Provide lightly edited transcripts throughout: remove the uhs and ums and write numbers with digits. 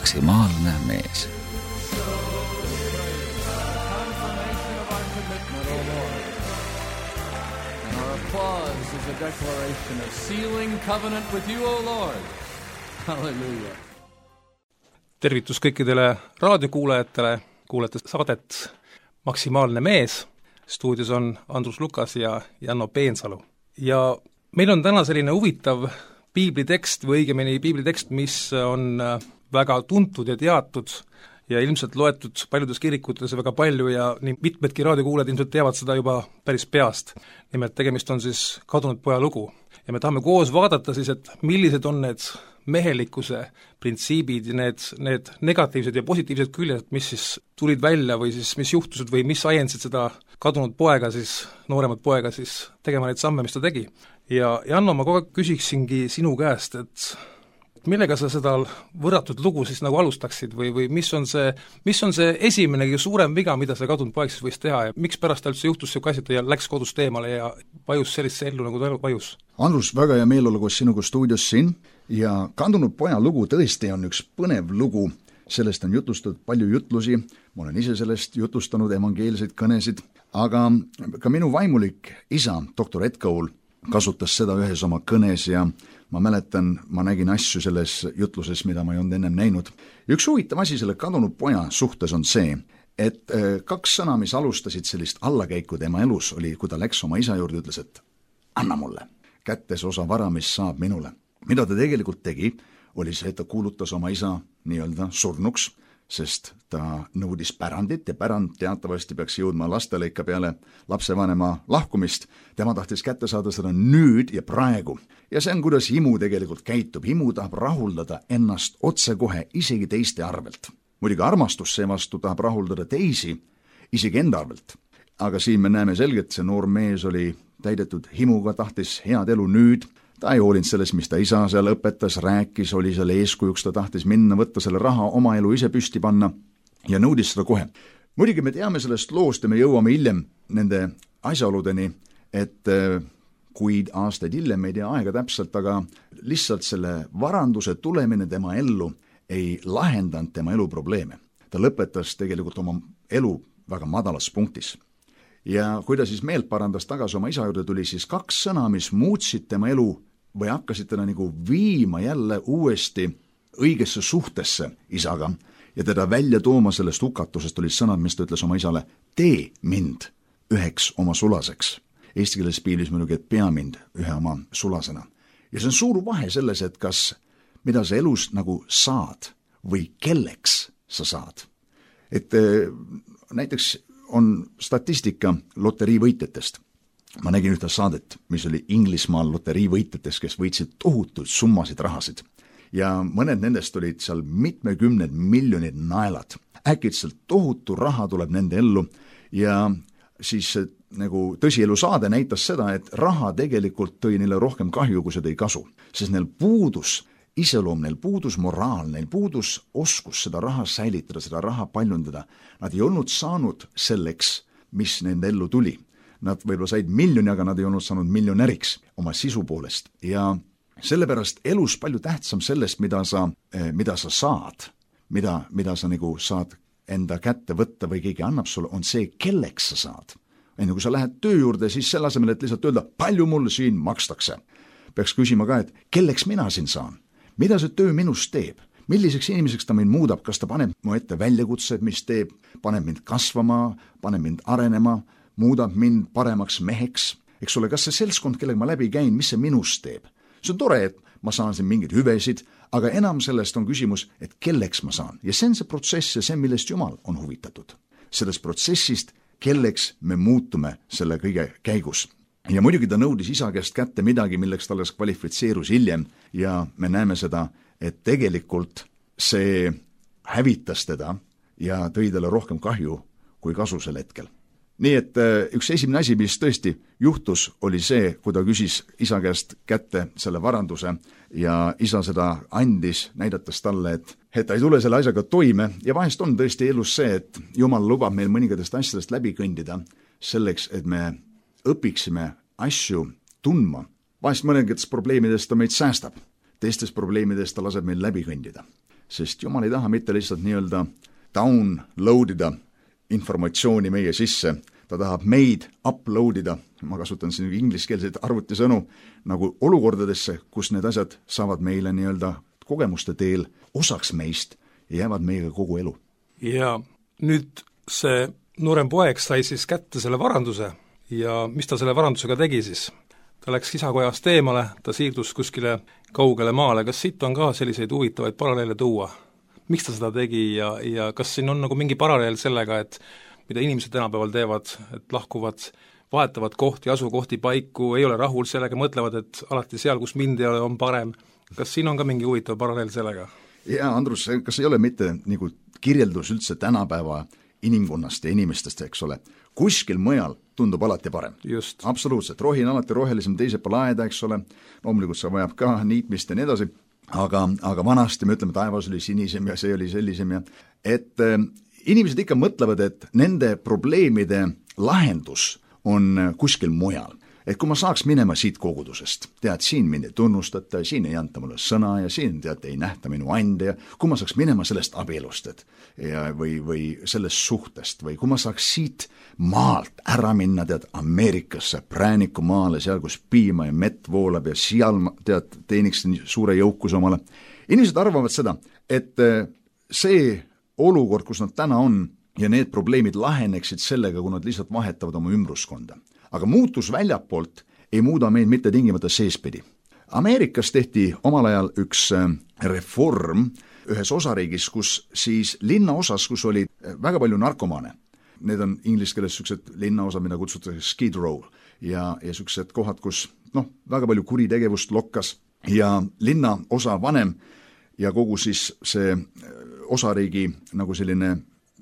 maksimaalne mees. Applause is a declaration of sealing covenant with you, O Lord. Hallelujah. Tervitus kõikidele raadiokuulajatele, kuulete saadet Maksimaalne mees. Stuudios on Andrus Lukas ja Janno Peensalu. Ja meil on täna selline huvitav piiblitekst või õigemini piiblitekst, mis on väga tuntud ja teatud ja ilmselt loetud paljudes kirikutes väga palju ja nii mitmedki raadiokuulajad ilmselt teavad seda juba päris peast. Nimelt tegemist on siis kadunud poja lugu. Ja me tahame koos vaadata siis, et millised on need mehelikkuse printsiibid ja need negatiivsed ja positiivsed küljed, mis siis tulid välja või siis mis juhtused või mis ajendasid seda kadunud poega siis, nooremat poega siis tegema neid samme, mis ta tegi. Ja Janno, ma kogu aeg küsiksingi sinu käest, et millega sa seda võrratud lugu siis nagu alustaksid või mis on see esimene kõige suurem viga, mida see kadunud poeg siis võis teha ja miks pärast ta üldse juhtus siuke asi, et ta läks kodust eemale ja vajus sellisse ellu, nagu ta vajus? Andrus, väga hea meel olla koos sinuga stuudios siin ja kadunud poja lugu tõesti on üks põnev lugu, sellest on jutlustatud palju jutlusi, ma olen ise sellest jutlustanud evangeelseid kõnesid, aga ka minu vaimulik isa, doktor Ed Cole, kasutas seda ühes oma kõnes ja ma mäletan, ma nägin asju selles jutluses, mida ma ei olnud ennem näinud. Üks huvitav asi selle kadunud poja suhtes on see, et kaks sõna, mis alustasid sellist allakäiku tema elus, oli, kui ta läks oma isa juurde, ütles, et anna mulle kättes osa vara, mis saab minule. Mida ta tegelikult tegi, oli see, et ta kuulutas oma isa nii-öelda surnuks, sest ta nõudis pärandit ja pärand teatavasti peaks jõudma lastele ikka peale lapsevanema lahkumist. Tema tahtis kätte saada seda nüüd ja praegu. Ja see on, kuidas himu tegelikult käitub. Himu tahab rahuldada ennast otsekohe isegi teiste arvelt. Muidugi armastus seevastu tahab rahuldada teisi isegi enda arvelt. Aga siin me näeme selgelt, see noor mees oli täidetud himuga, tahtis head elu nüüd. Ta ei hoolinud sellest, mis ta isa seal õpetas, rääkis, oli seal eeskujuks, ta tahtis minna, võtta selle raha, oma elu ise püsti panna ja nõudis seda kohe. Muidugi me teame sellest loost ja me jõuame hiljem nende asjaoludeni, et kuid aastaid hiljem, ei tea aega täpselt, aga lihtsalt selle varanduse tulemine tema ellu ei lahendanud tema elu probleeme. Ta lõpetas tegelikult oma elu väga madalas punktis. Ja kui ta siis meelt parandas tagasi oma isa juurde, tuli siis kaks sõna, mis muutsid tema elu või hakkasid teda nagu viima jälle uuesti õigesse suhtesse isaga ja teda välja tooma sellest hukatusest olid sõnad, mis ta ütles oma isale, tee mind üheks oma sulaseks. Eesti keeles piiblis muidugi, et pea mind ühe oma sulasena. Ja see on suur vahe selles, et kas mida sa elus nagu saad või kelleks sa saad. Et näiteks on statistika loteriivõitjatest. Ma nägin ühte saadet, mis oli Inglismaal loteriivõitjatest, kes võitsid tohutud summasid rahasid. Ja mõned nendest olid seal mitmekümned miljonid naelad. Äkitselt tohutu raha tuleb nende ellu ja siis nagu tõsielu saade näitas seda, et raha tegelikult tõi neile rohkem kahju, kui see tõi kasu. Sest neil puudus iseloom, neil puudus moraal, neil puudus oskus seda raha säilitada, seda raha paljundada. Nad ei olnud saanud selleks, mis nende ellu tuli. Nad võib-olla said miljoni, aga nad ei olnud saanud miljonäriks oma sisu poolest. Ja sellepärast elus palju tähtsam sellest, mida sa saad, mida sa nagu saad enda kätte võtta või keegi annab sulle, on see, kelleks sa saad. Enne kui sa lähed töö juurde, siis selle asemel, et lihtsalt öelda, palju mulle siin makstakse. Peaks küsima ka, et kelleks mina siin saan? Mida see töö minust teeb? Milliseks inimeseks ta mind muudab? Kas ta paneb mu ette väljakutsed, mis teeb? Paneb mind kasvama, paneb mind arenema, muudab mind paremaks meheks? Eks ole, kas see seltskond, kellega ma läbi käin, mis see minust teeb? See on tore, et ma saan siin mingeid hüvesid, aga enam sellest on küsimus, et kelleks ma saan. Ja see on see protsess ja see, millest Jumal on huvitatud. Sellest protsessist, kelleks me muutume selle kõige käigus. Ja muidugi ta nõudis isa käest kätte midagi, milleks ta alles kvalifitseerus hiljem ja me näeme seda, et tegelikult see hävitas teda ja tõi talle rohkem kahju kui kasu sel hetkel. Nii et üks esimene asi, mis tõesti juhtus, oli see, kui ta küsis isa käest kätte selle varanduse ja isa seda andis, näidates talle, et ta ei tule selle asjaga toime ja vahest on tõesti elus see, et Jumal lubab meil mõningatest asjadest läbi kõndida selleks, et me õpiksime asju tundma. Vahest mõningatest probleemidest ta meid säästab, teistest probleemidest ta laseb meil läbi kõndida. sest Jumal ei taha mitte lihtsalt nii-öelda downloadida informatsiooni meie sisse, ta tahab meid uploadida, ma kasutan siin ingliskeelseid arvutisõnu, nagu olukordadesse, kus need asjad saavad meile nii-öelda kogemuste teel osaks meist ja jäävad meiega kogu elu. Ja nüüd see noorem poeg sai siis kätte selle varanduse ja mis ta selle varandusega tegi siis? Ta läks isakojast eemale, ta siirdus kuskile kaugele maale, kas siit on ka selliseid huvitavaid paralleele tuua? Miks ta seda tegi ja kas siin on nagu mingi paralleel sellega, et mida inimesed tänapäeval teevad, et lahkuvad, vahetavad kohti, asukohti paiku, ei ole rahul sellega, mõtlevad, et alati seal, kus mind ei ole, on parem. Kas siin on ka mingi huvitav paralleel sellega? Jaa, Andrus, kas ei ole mitte nagu kirjeldus üldse tänapäeva inimkonnast ja inimestest, eks ole? Kuskil mujal tundub alati parem. Just. Absoluutselt, rohi on alati rohelisem, teise palaeda, eks ole, loomulikult see vajab ka niitmist ja nii edasi, aga vanasti me ütleme, taevas oli sinisem ja see oli sellisem ja et inimesed ikka mõtlevad, et nende probleemide lahendus on kuskil mujal. Et kui ma saaks minema siit kogudusest, tead, siin mind ei tunnustata, siin ei anta mulle sõna ja siin tead, ei nähta minu ande ja kui ma saaks minema sellest abielust või sellest suhtest või kui ma saaks siit maalt ära minna, tead, Ameerikasse, Präänikumaale, seal, kus piima ja mett voolab ja seal, tead, teeniks suure jõukus omale. Inimesed arvavad seda, et see olukord, kus nad täna on ja need probleemid laheneksid sellega, kui nad lihtsalt vahetavad oma ümbruskonda. Aga muutus väljapoolt ei muuda meid mitte tingimata seespidi. Ameerikas tehti omal ajal üks reform ühes osariigis, kus siis linnaosas, kus oli väga palju narkomaane. Need on inglise keeles sellised linnaosad, mida kutsutakse skid row ja sellised kohad, kus väga palju kuritegevust lokkas ja linnaosa vanem ja kogu siis see osariigi nagu selline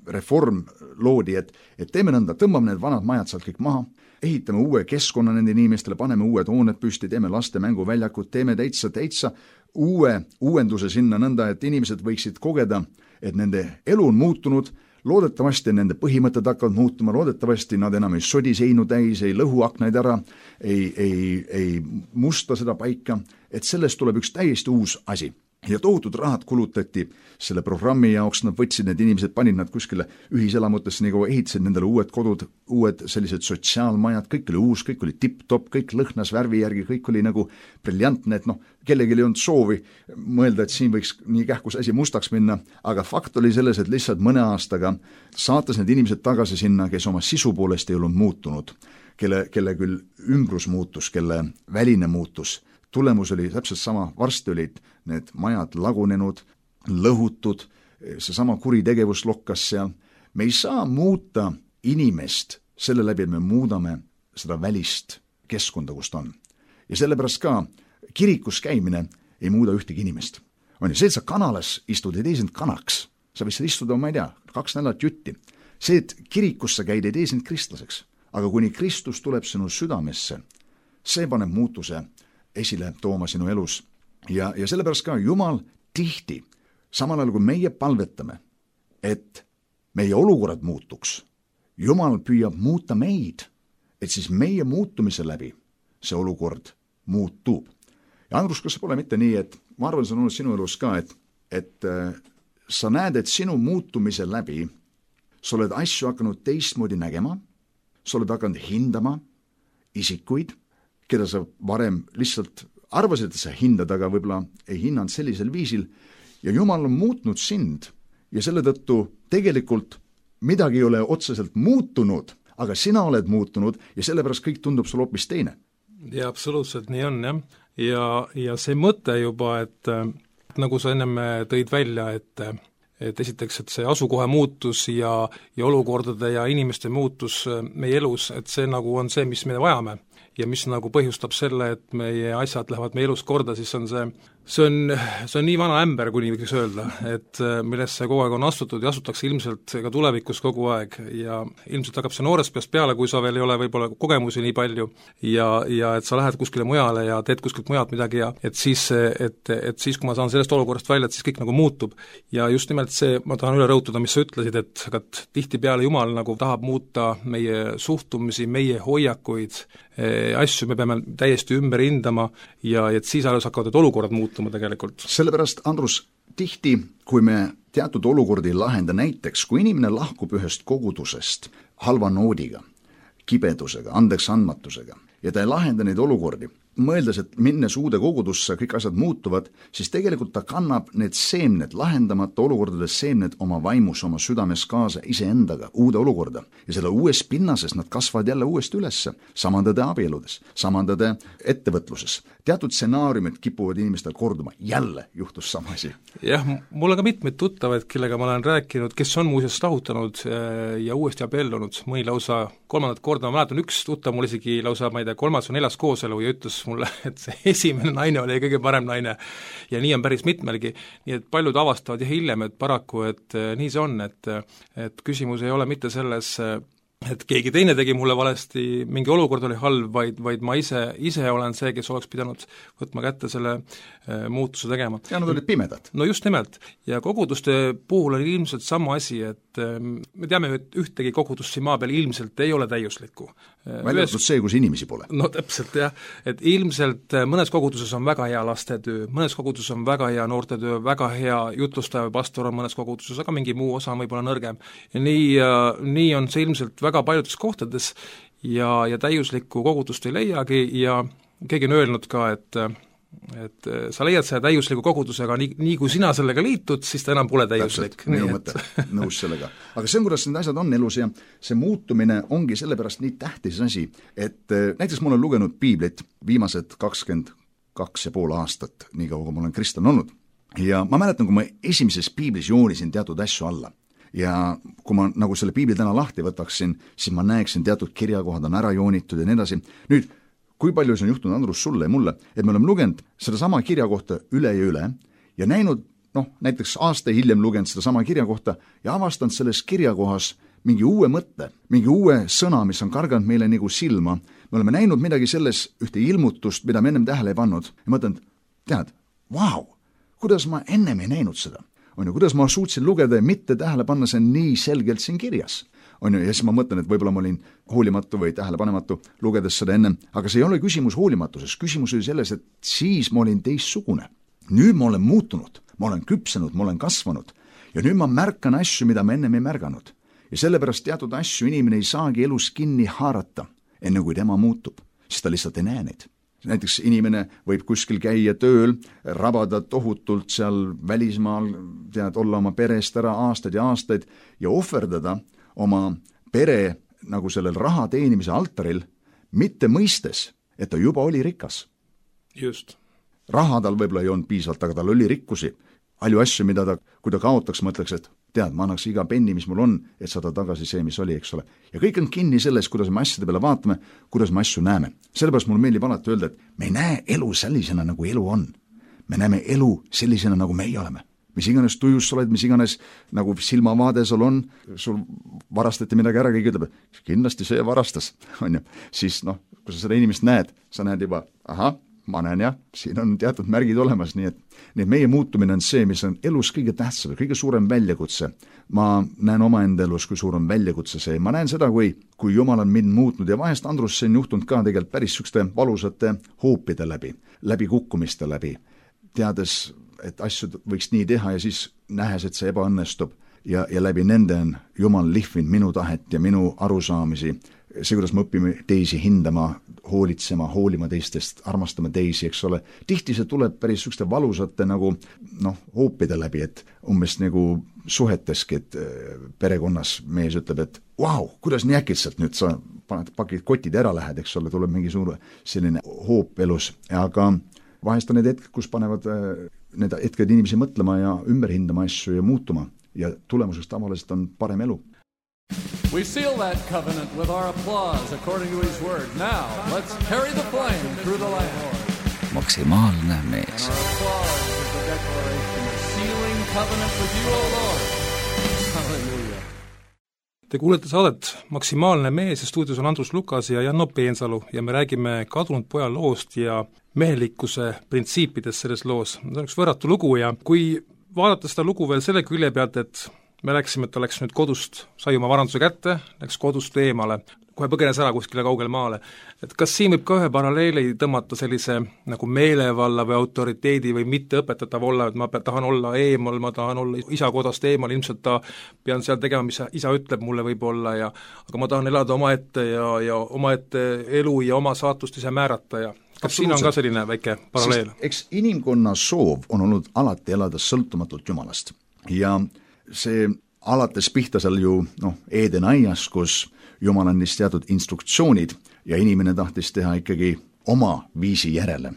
reform loodi, et teeme nõnda, tõmbame need vanad majad sealt kõik maha, ehitame uue keskkonna nende inimestele, paneme uued hooned püsti, teeme laste mänguväljakud, teeme täitsa uue uuenduse sinna nõnda, et inimesed võiksid kogeda, et nende elu on muutunud, loodetavasti nende põhimõtted hakkavad muutuma, loodetavasti nad enam ei sodi seinu täis, ei lõhu aknaid ära, ei musta seda paika, et sellest tuleb üks täiesti uus asi. Ja tohutud rahad kulutati selle programmi jaoks, nad võtsid need inimesed, panid nad kuskile ühiselamutesse, nagu ehitasid nendele uued kodud, uued sellised sotsiaalmajad, kõik oli uus, kõik oli tipp-top, kõik lõhnas värvi järgi, kõik oli nagu briljantne, et kellelgi ei olnud soovi mõelda, et siin võiks nii kähkus asi mustaks minna, aga fakt oli selles, et lihtsalt mõne aastaga saates need inimesed tagasi sinna, kes oma sisu poolest ei olnud muutunud, kelle küll ümbrus muutus, kelle väline muutus, tulemus oli täpselt sama, varsti olid need majad lagunenud, lõhutud, seesama kuritegevus lokkas seal. Me ei saa muuta inimest selle läbi, et me muudame seda välist keskkonda, kus ta on. Ja sellepärast ka kirikus käimine ei muuda ühtegi inimest. On ju, see, et sa kanalas istud, ei tee sind kanaks. Sa võid seal istuda, ma ei tea, 2 nädalat jutti. See, et kirikus sa käid, ei tee sind kristlaseks. Aga kuni Kristus tuleb sinu südamesse, see paneb muutuse esile tooma sinu elus. Ja sellepärast ka Jumal tihti, samal ajal kui meie palvetame, et meie olukorrad muutuks, Jumal püüab muuta meid, et siis meie muutumise läbi see olukord muutub. Ja Andrus, kas see pole mitte nii, et ma arvan, see on olnud sinu elus ka, et sa näed, et sinu muutumise läbi sa oled asju hakanud teistmoodi nägema, sa oled hakanud hindama isikuid, keda sa varem lihtsalt arvasid, et sa hindad, aga võib-olla ei hinnanud sellisel viisil ja Jumal on muutnud sind ja selle tõttu tegelikult midagi ei ole otseselt muutunud, aga sina oled muutunud ja sellepärast kõik tundub sul hoopis teine. Ja absoluutselt nii on, jah. Ja see mõte juba, et nagu sa ennem tõid välja, et esiteks, et see asukoha muutus ja olukordade ja inimeste muutus meie elus, et see nagu on see, mis me vajame ja mis nagu põhjustab selle, et meie asjad lähevad meie elus korda, siis on see on nii vana ämber, kuni võiks öelda, et millesse kogu aeg on astutud ja astutakse ilmselt ka tulevikus kogu aeg ja ilmselt hakkab see noorest peast peale, kui sa veel ei ole võib-olla kogemusi nii palju ja et sa lähed kuskile mujale ja teed kuskilt mujalt midagi ja et siis, kui ma saan sellest olukorrast välja, et siis kõik nagu muutub. Ja just nimelt see, ma tahan üle rõhutada, mis sa ütlesid, et tihtipeale Jumal nagu tahab muuta meie suhtumisi, meie hoiakuid, asju me peame täiesti ümber hindama ja et siis alles hakkavad need olukorrad muutuma tegelikult. Sellepärast, Andrus, tihti, kui me teatud olukordi ei lahenda, näiteks kui inimene lahkub ühest kogudusest halva noodiga, kibedusega, andeks andmatusega ja ta ei lahenda neid olukordi, mõeldes, et minnes uude kogudusse kõik asjad muutuvad, siis tegelikult ta kannab need seemned, lahendamata olukordades seemned oma vaimus, oma südames kaasa iseendaga uude olukorda. Ja selle uues pinnases nad kasvavad jälle uuesti ülesse, samandade abieludes, samandade ettevõtluses. Teatud stsenaariumid kipuvad inimestel korduma, jälle juhtus sama asi. Jah, mul on ka mitmeid tuttavaid, kellega ma olen rääkinud, kes on muuseas lahutanud ja uuesti abiellunud, mõni lausa 3. korda, ma mäletan üks tuttav mul isegi lausa, ma ei tea, 3. või 4. kooselu ja ütles mulle, et see esimene naine oli kõige parem naine ja nii on päris mitmelgi, nii et paljud avastavad ja hiljem, et paraku, et nii see on, et küsimus ei ole mitte selles, et keegi teine tegi mulle valesti, mingi olukord oli halb, vaid ma ise olen see, kes oleks pidanud võtma kätte selle muutuse tegema. Ja nad olid pimedad. No just nimelt. Ja koguduste puhul oli ilmselt sama asi, et me teame, et ühtegi kogudust siin maa peal ilmselt ei ole täiuslikku. Väljatud see, kus inimesi pole. No täpselt jah, et ilmselt mõnes koguduses on väga hea lastetöö, mõnes koguduses on väga hea noortetöö, väga hea jutlustaja pastor on mõnes koguduses, aga mingi muu osa on võib-olla nõrgem. Ja nii on see ilmselt väga paljudes kohtades ja täiuslikku kogudust ei leiagi ja keegi on öelnud ka, et sa leiad selle täiusliku kogudusega, nii kui sina sellega liitud, siis ta enam pole täiuslik. Minu mõte, nõus sellega. Aga see on, kuidas need asjad on elus ja see muutumine ongi sellepärast nii tähtis asi, et näiteks ma olen lugenud piiblit viimased 22,5 aastat, nii kaua kui ma olen kristlane olnud. Ja ma mäletan, kui ma esimeses piiblis joonisin teatud asju alla ja kui ma nagu selle piibli täna lahti võtaksin, siis ma näeksin teatud kirjakohad on ära joonitud ja nii edasi. Nüüd, kui palju see on juhtunud, Andrus, sulle ja mulle, et me oleme lugenud seda sama kirja kohta üle ja näinud, näiteks aasta hiljem lugenud seda sama kirja kohta ja avastanud selles kirjakohas mingi uue mõtte, mingi uue sõna, mis on karganud meile nagu silma. Me oleme näinud midagi selles ühte ilmutust, mida me ennem tähele ei pannud ja mõtlen, tead, vau, kuidas ma ennem ei näinud seda. Kuidas ma suutsin lugeda ja mitte tähele panna see nii selgelt siin kirjas. Ja siis ma mõtlen, et võib-olla ma olin hoolimatu või tähelepanematu lugedes seda ennem, aga see ei ole küsimus hoolimatuses, küsimus oli selles, et siis ma olin teistsugune. Nüüd ma olen muutunud, ma olen küpsenud, ma olen kasvanud ja nüüd ma märkan asju, mida ma ennem ei märganud. Ja sellepärast teatud asju inimene ei saagi elus kinni haarata, enne kui tema muutub, siis ta lihtsalt ei näe neid. Näiteks inimene võib kuskil käia tööl, rabada tohutult seal välismaal, olla oma perest ära aastaid ja aastaid ja ohverdada oma pere nagu sellel raha teenimise altaril, mitte mõistes, et ta juba oli rikas. Just. Raha tal võib-olla ei olnud piisavalt, aga tal oli rikkusi. Palju asju, mida kui ta kaotaks, mõtleks, et tead, ma annaks iga penni, mis mul on, et saada tagasi see, mis oli, eks ole. Ja kõik on kinni selles, kuidas me asjade peale vaatame, kuidas me asju näeme. Sellepärast mul meeldib alati öelda, et me ei näe elu sellisena, nagu elu on. Me näeme elu sellisena, nagu meie oleme. Mis iganes tujus sa oled, mis iganes nagu silmavaade sul on, sul varastati midagi ära, keegi ütleb, kindlasti see varastas, on ju. Siis kui sa seda inimest näed, sa näed juba, ma näen jah, siin on teatud märgid olemas, nii et meie muutumine on see, mis on elus kõige tähtsam, kõige suurem väljakutse. Ma näen omaenda elus, kui suur on väljakutse see. Ma näen seda, kui Jumal on mind muutnud ja vahest, Andrus, see on juhtunud ka tegelikult päris sükste valusate hoopide läbi kukkumiste läbi, teades, et asju võiks nii teha ja siis nähes, et see ebaõnnestub ja läbi nende on Jumal lihvinud minu tahet ja minu arusaamisi. See, kuidas me õpime teisi hindama, hoolitsema, hoolima teistest, armastama teisi, eks ole. Tihti see tuleb päris sükste valusate nagu hoopide läbi, et umbes nagu suheteski, et perekonnas mees ütleb, et vau, kuidas nii äkitselt nüüd sa pakid kotid ära lähed, eks ole, tuleb mingi suur selline hoop elus, aga vahest on need hetked, kus panevad need hetked inimesi mõtlema ja ümber hindama asju ja muutuma ja tulemuseks tavaliselt on parem elu. We seal that covenant with our applause according to his word. Now, let's carry the flame through the land. Maksimaalne mees. Our applause is the declaration of sealing covenant with you, O Lord. Hallelujah. Te kuulete saadet Maksimaalne mees ja stuudios on Andrus Lukas ja Janno Peensalu ja me räägime kadunud poja loost ja mehelikkuse printsiipidest selles loos. See on üks võrratu lugu ja kui vaadata seda lugu veel selle külje pealt, et me läksime, et ta läks nüüd kodust, sai oma varanduse kätte, läks kodust eemale, kohe põgenes ära kuskile kaugele maale. Et kas siin võib ka ühe paralleeli tõmmata sellise nagu meelevalla või autoriteedi või mitte õpetatav olla, et ma tahan olla eemal, ma tahan olla isa kodast eemal, ilmselt ta pean seal tegema, mis isa ütleb mulle võib-olla, aga ma tahan elada omaette ja omaette elu ja oma saatust ise määrata ja kas siin on ka selline väike paralleel? Eks inimkonna soov on olnud alati elada sõltumatult Jumalast ja see alates pihta seal ju Eeden aias, kus Jumal andis teatud instruktsioonid ja inimene tahtis teha ikkagi oma viisi järele.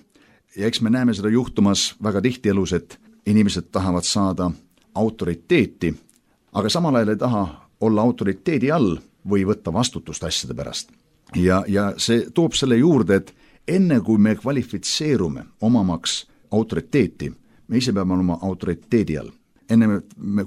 Ja eks me näeme seda juhtumas väga tihti elus, et inimesed tahavad saada autoriteeti, aga samal ajal ei taha olla autoriteedi all või võtta vastutust asjade pärast. Ja see toob selle juurde, et enne kui me kvalifitseerume omamaks autoriteeti, me ise peame olema autoriteedi all. Enne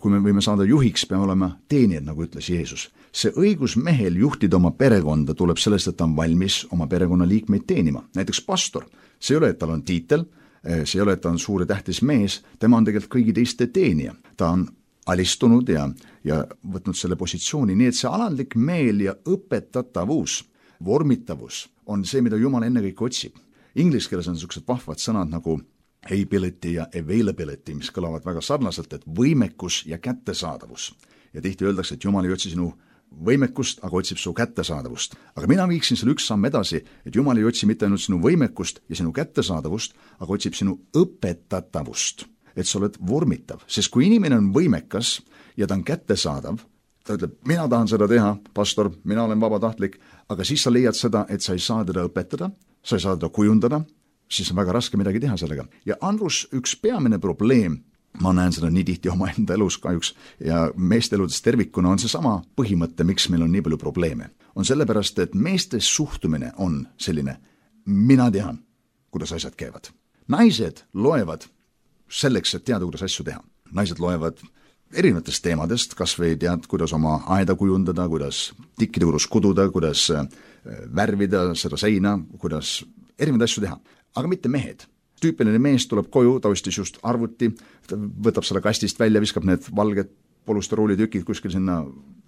kui me võime saada juhiks, peame olema teenijad, nagu ütles Jeesus. See õigus mehel juhtida oma perekonda tuleb sellest, et ta on valmis oma perekonna liikmeid teenima. Näiteks pastor, see ei ole, et tal on tiitel, see ei ole, et ta on suur ja tähtis mees, tema on tegelikult kõigi teiste teenija. Ta on alistunud ja võtnud selle positsiooni, nii et see alandlik meel ja õpetatavus, vormitavus on see, mida Jumal ennekõike otsib. Inglise keeles on niisugused vahvad sõnad nagu ability ja availability, mis kõlavad väga sarnaselt, et võimekus ja kättesaadavus. Ja tihti öeldakse, et Jumal ei otsi sinu võimekust, aga otsib su kättesaadavust. Aga mina viiksin selle üks samm edasi, et Jumal ei otsi mitte ainult sinu võimekust ja sinu kättesaadavust, aga otsib sinu õpetatavust, et sa oled vormitav. Sest kui inimene on võimekas ja ta on kättesaadav, ta ütleb, mina tahan seda teha, pastor, mina olen vabatahtlik, aga siis sa leiad seda, et sa ei saa teda õpetada, sa ei saa teda kujundada, siis on väga raske midagi teha sellega. Ja Andrus, üks peamine probleem, ma näen seda nii tihti oma enda elus kahjuks ja meeste eludes tervikuna, on seesama põhimõte, miks meil on nii palju probleeme. On sellepärast, et meeste suhtumine on selline, mina tean, kuidas asjad käivad. Naised loevad selleks, et teada, kuidas asju teha. Naised loevad erinevatest teemadest, kas või tead, kuidas oma aeda kujundada, kuidas tikkide juures kududa, kuidas värvida seda seina, kuidas erinevaid asju teha. Aga mitte mehed. Tüüpiline mees tuleb koju, ta ostis just arvuti, ta võtab selle kastist välja, viskab need valged polusteroolitükid kuskil sinna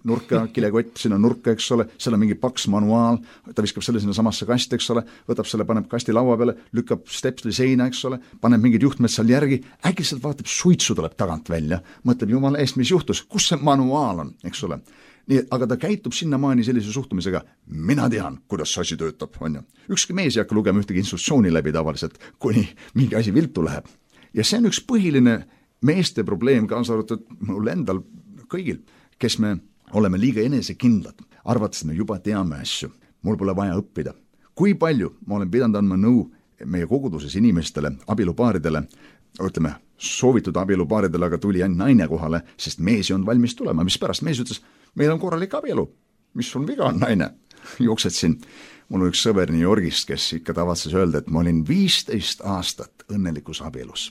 nurka, kilekott sinna nurka, eks ole, seal on mingi paks manuaal, ta viskab selle sinna samasse kasti, eks ole, võtab selle, paneb kasti laua peale, lükkab stepsli seina, eks ole, paneb mingid juhtmed seal järgi, äkki sealt vaatab, suitsu tuleb tagant välja, mõtleb, jumala eest, mis juhtus, kus see manuaal on, eks ole. Nii, aga ta käitub sinnamaani sellise suhtumisega, mina tean, kuidas see asi töötab, on ju. Ükski mees ei hakka lugema ühtegi instruktsiooni läbi tavaliselt, kuni mingi asi viltu läheb. Ja see on üks põhiline meeste probleem, kaasa arvatud mul endal kõigil, kes me oleme liiga enesekindlad, arvates, et me juba teame asju, mul pole vaja õppida. Kui palju ma olen pidanud andma nõu meie koguduses inimestele, abielupaaridele, ütleme, soovitud abielupaaridele, aga tuli ainult naine kohale, sest mees ei olnud valmis tulema, mis pärast mees ütles, meil on korralik abielu, mis sul viga on, naine? Jooksed siin, mul on üks sõber New Yorgist, kes ikka tavatses öelda, et ma olin 15 aastat õnnelikus abielus.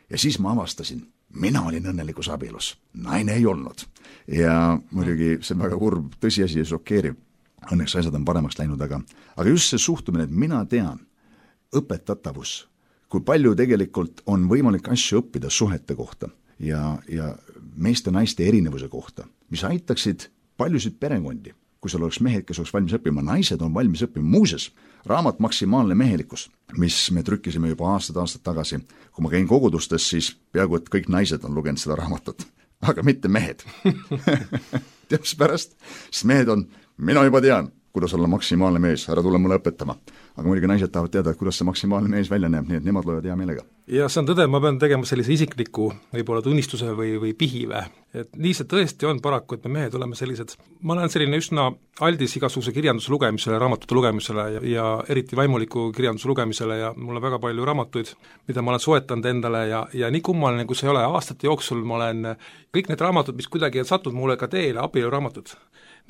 Ja siis ma avastasin, mina olin õnnelikus abielus, naine ei olnud. Ja muidugi see on väga kurb tõsiasi ja šokeeriv. Õnneks asjad on paremaks läinud, aga just see suhtumine, et mina tean, õpetatavus, kui palju tegelikult on võimalik asju õppida suhete kohta ja meeste-naiste erinevuse kohta, mis aitaksid paljusid perekondi, kui seal oleks mehed, kes oleks valmis õppima, naised on valmis õppima. Muuses, raamat Maksimaalne mehelikkus, mis me trükkisime juba aastad tagasi. Kui ma käin kogudustes, siis peaaegu, et kõik naised on lugenud seda raamatut, aga mitte mehed. Tead, mis pärast? Sest mehed on, mina juba tean, kuidas olla maksimaalne mees, ära tule mulle õpetama. Aga muidugi naised tahavad teada, kuidas see maksimaalne mees välja näeb, nii et nemad loevad hea meelega. Ja see on tõde, ma pean tegema sellise isikliku võib-olla tunnistuse või pihive. Et nii see tõesti on paraku, et me mehed oleme sellised, ma olen selline üsna aldis igasuguse kirjanduse lugemisele, raamatute lugemisele ja eriti vaimuliku kirjanduse lugemisele ja mul on väga palju raamatuid, mida ma olen soetanud endale ja nii kummaline, kui see ei ole, aastate jooksul ma olen kõik need raamatud, mis kuidagi on sattunud mulle ka teele, abieluraamatud,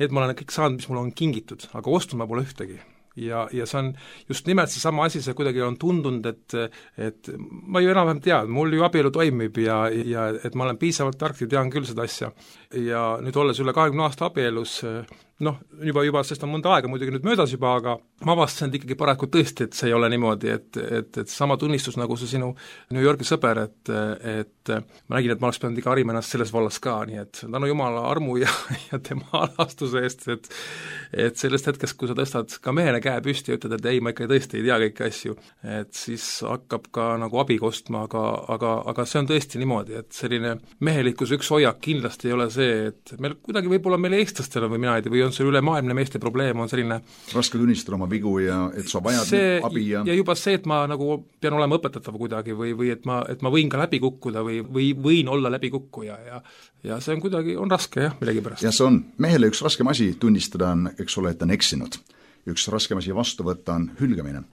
need ma olen kõik saanud, mis mulle on kingitud, aga ostnud ma pole ühtegi. Ja see on just nimelt see sama asi, see kuidagi on tundunud, et ma ju enam-vähem tean, mul ju abielu toimib ja et ma olen piisavalt tark ja tean küll seda asja. Ja nüüd olles üle 20 aasta abielus, noh, juba sest on mõnda aega muidugi nüüd möödas juba, aga ma avastasin ikkagi paraku tõesti, et see ei ole niimoodi, et sama tunnistus nagu see sinu New Yorgi sõber, et ma nägin, et ma oleks pidanud ikka harima ennast selles vallas ka, nii et tänu Jumala armu ja tema alastuse eest, et sellest hetkest, kui sa tõstad ka mehele käe püsti ja ütled, et ei, ma ikka tõesti ei tea kõiki asju, et siis hakkab ka nagu abi kostma, aga see on tõesti niimoodi, et selline mehelikkus üks hoiak kindlasti ei ole see, et meil kuidagi võib-olla meil eestlastel või mina ei tea, või on see ülemaailmne meeste probleem, on selline raske tunnistada oma vigu ja et sa vajad see, abi ja juba see, et ma nagu pean olema õpetatav kuidagi või et ma võin ka läbi kukkuda või võin olla läbikukkuja ja see on kuidagi, on raske jah, millegipärast. ja see on, mehele üks raskem asi tunnistada on, eks ole, et ta on eksinud. Üks raskem asi vastu võtta on hülgamine.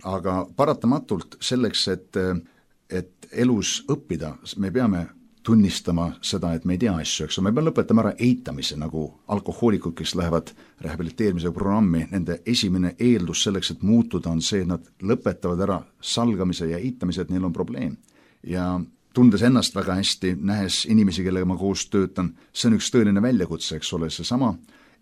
Aga paratamatult selleks, et elus õppida, me peame tunnistama seda, et me ei tea asju, eks me peame lõpetama ära eitamise, nagu alkohoolikud, kes lähevad rehabiliteerimise programmi, nende esimene eeldus selleks, et muutuda, on see, et nad lõpetavad ära salgamise ja eitamise, et neil on probleem. Ja tundes ennast väga hästi, nähes inimesi, kellega ma koos töötan, see on üks tõeline väljakutse, eks ole, see sama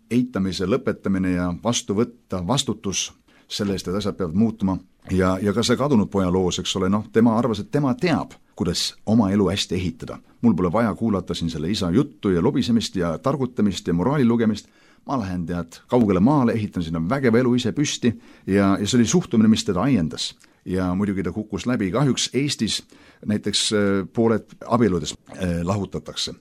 eitamise lõpetamine ja vastu võtta vastutus selle eest, et asjad peavad muutuma ja ka see kadunud poja loos, eks ole, tema arvas, et tema teab, kuidas oma elu hästi ehitada. Mul pole vaja kuulata siin selle isa juttu ja lobisemist ja targutamist ja moraali lugemist, ma lähen kaugele maale, ehitan sinna vägeva elu ise püsti ja see oli suhtumine, mis teda aiendas. Ja muidugi ta kukkus läbi, kahjuks Eestis näiteks pooled abieludest lahutatakse,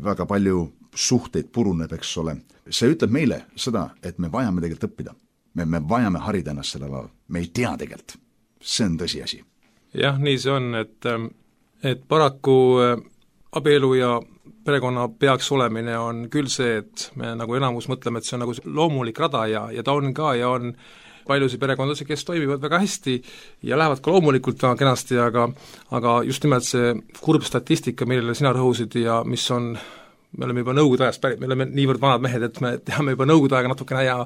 väga palju suhteid puruneb, eks ole. See ütleb meile seda, et me vajame tegelikult õppida. Me vajame harida ennast sellel alal, me ei tea tegelikult, see on tõsiasi. Jah, nii see on, et paraku abielu ja perekonna peaks olemine on küll see, et me nagu enamus mõtleme, et see on nagu loomulik rada ja ta on ka ja on paljusid perekondasi, kes toimivad väga hästi ja lähevad ka loomulikult väga kenasti, aga just nimelt see kurb statistika, millele sina rõhusid ja mis on, me oleme juba nõukogude ajast pärit, me oleme niivõrd vanad mehed, et me teame juba nõukogude aega natukene ja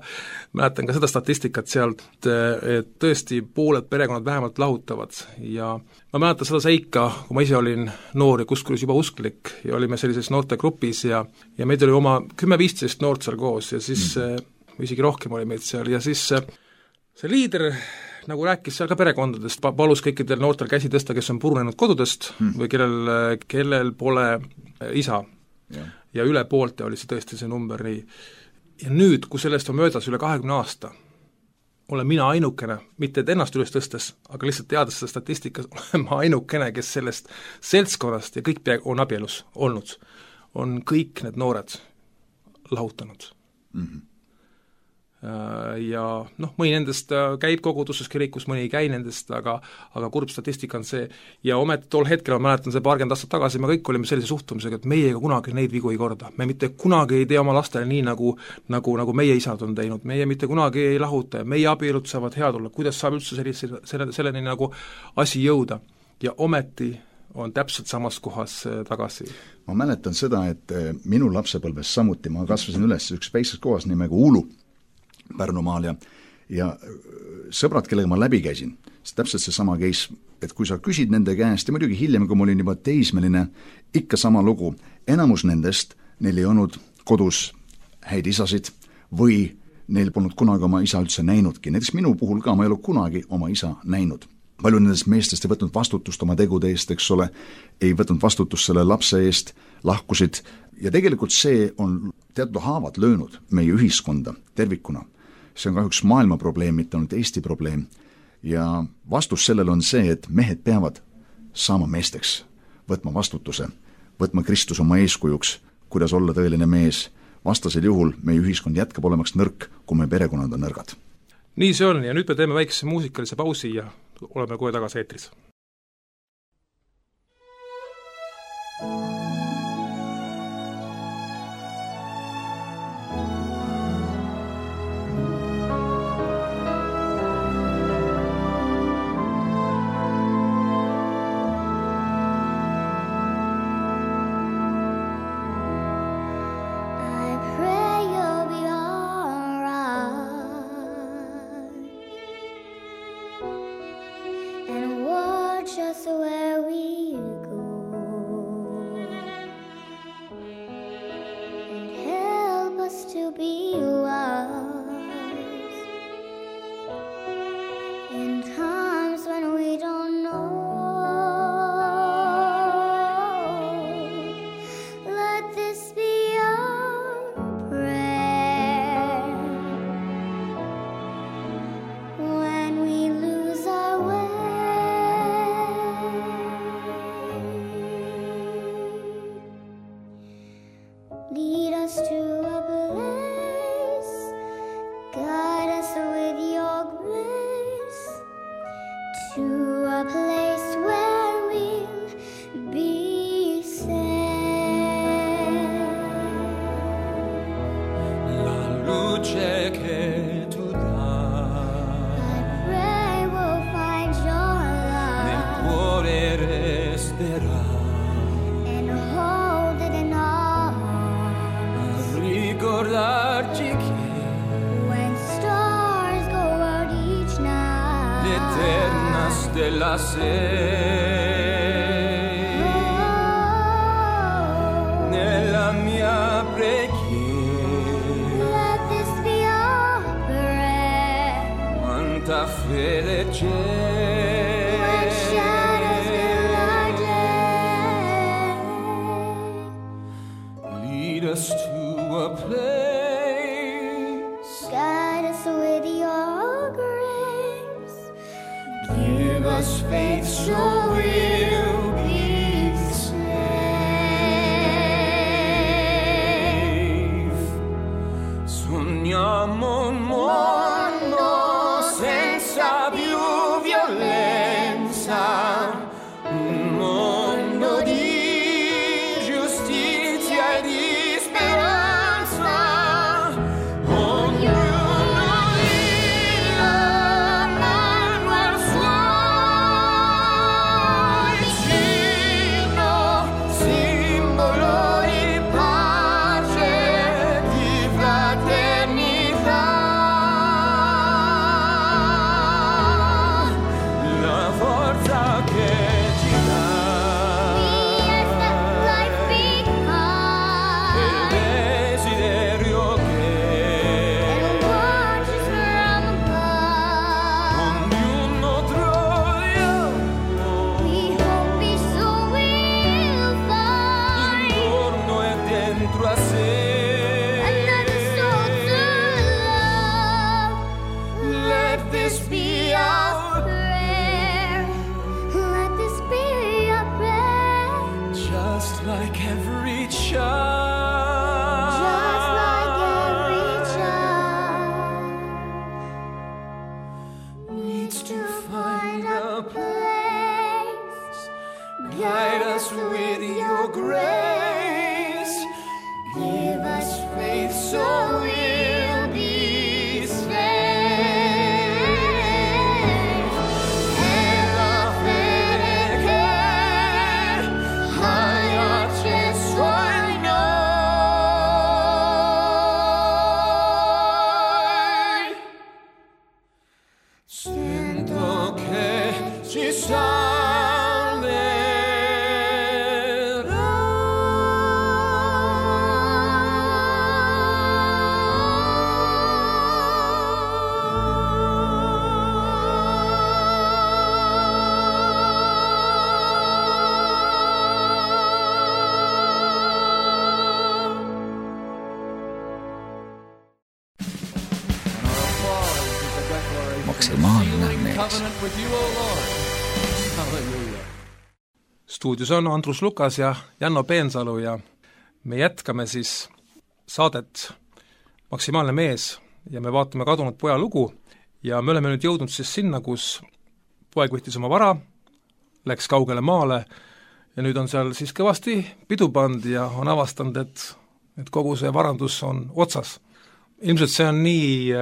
mäletan ka seda statistikat sealt, et tõesti pooled perekonnad vähemalt lahutavad ja ma mäletan seda seika, kui ma ise olin noor ja kuskuris juba usklik ja olime sellises noortegrupis ja meid oli oma 10-15 noort seal koos ja siis või isegi rohkem oli meid seal ja siis see liider nagu rääkis seal ka perekondadest, palus kõikidel noortel käsi tõsta, kes on purunenud kodudest või kellel pole isa. Ja üle poolte oli see tõesti see number nii. Ja nüüd, kui sellest on möödas üle 20 aasta, olen mina ainukene, mitte et ennast üles tõstes, aga lihtsalt teades seda statistikas, olen ma ainukene, kes sellest seltskonnast ja kõik on abielus olnud, on kõik need noored lahutanud. Ja mõni nendest käib koguduses kirikus, mõni ei käi nendest, aga kurb statistika on see ja ometi tol hetkel, ma mäletan see 20 aastat tagasi, me kõik olime sellise suhtumisega, et meie ega kunagi neid vigu ei korda, me mitte kunagi ei tee oma lastele nii, nagu meie isad on teinud, meie mitte kunagi ei lahuta ja meie abielud saavad head olla, kuidas saab üldse selleni nagu asi jõuda ja ometi on täpselt samas kohas tagasi. Ma mäletan seda, et minu lapsepõlves samuti, ma kasvasin üles üks väikses kohas nimega Uulu Pärnumaal ja sõbrad, kellega ma läbi käisin, siis täpselt see sama case, et kui sa küsid nende käest ja muidugi hiljem, kui ma olin juba teismeline, ikka sama lugu, enamus nendest, neil ei olnud kodus häid isasid või neil polnud kunagi oma isa üldse näinudki, näiteks minu puhul ka, ma ei ole kunagi oma isa näinud. Palju nendest meestest ei võtnud vastutust oma tegude eest, eks ole, ei võtnud vastutust selle lapse eest, lahkusid ja tegelikult see on teatud haavad löönud meie ühiskonda tervikuna. See on kahjuks maailma probleem, mitte ainult Eesti probleem. Ja vastus sellele on see, et mehed peavad saama meesteks, võtma vastutuse, võtma Kristus oma eeskujuks, kuidas olla tõeline mees. Vastasel juhul meie ühiskond jätkab olemaks nõrk, kui meie perekonnad on nõrgad. Nii see on ja nüüd me teeme väikese muusikalise pausi ja oleme kohe tagasi eetris. And what luce che tu dai. I pray we'll find your Nel love cuore resterà. and hold it in our hearts. A ricordarci che When stars go out each night, l'eterna stella sei. Nella mia preghiera let this be our prayer. quanta fede c'è. When shadows fill our day, Lead us to a place. guide us with your grace. Give us faith so we'll be safe. Sogniamo un mondo senza più violenza, un mondo di giustizia e di speranza. Ognuno di la mano al suo vicino, simbolo di pace, di fraternità. La forza che ci dà Yes, that life il behind desiderio che and watches from above. ognuno troviamo We hope peace will find intorno e dentro a sé. another soul to love. Let this be our prayer. Let this be our prayer. just like every child. Just like every child needs to find a place. guide us with your grace. Give us Faith so we'll be safe. E la fede che hai acceso in noi. Sento che ci Maksimaalne mees. Covenant with you, O Lord. Hallelujah. stuudios on Andrus Lukas ja Janno Peensalu ja me jätkame siis saadet Maksimaalne mees ja me vaatame kadunud poja lugu ja me oleme nüüd jõudnud siis sinna, kus poeg võttis oma vara, läks kaugele maale ja nüüd on seal siis kõvasti pidu pand ja on avastanud, et kogu see varandus on otsas. Ilmselt see on nii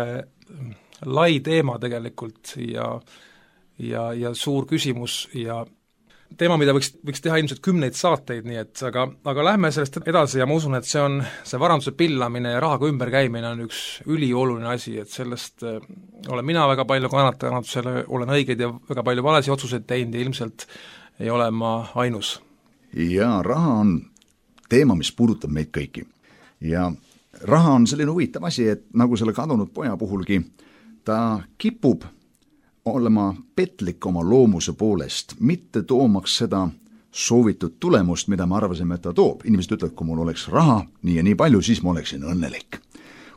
lai teema tegelikult ja suur küsimus ja teema, mida võiks teha ilmselt 10 saateid, nii et aga lähme sellest edasi ja ma usun, et see varanduse pillamine ja rahaga ümberkäimine on üks ülioluline asi, et sellest olen mina väga palju kannatanud, selle olen õigeid ja väga palju valesi otsuseid teinud ja ilmselt ei ole ma ainus. ja raha on teema, mis puudutab meid kõiki. ja raha on selline huvitav asi, et nagu selle kadunud poja puhulgi, ta kipub olema petlik oma loomuse poolest, mitte toomaks seda soovitud tulemust, mida me arvasime, et ta toob. Inimesed ütlevad, kui mul oleks raha nii ja nii palju, siis ma oleksin õnnelik.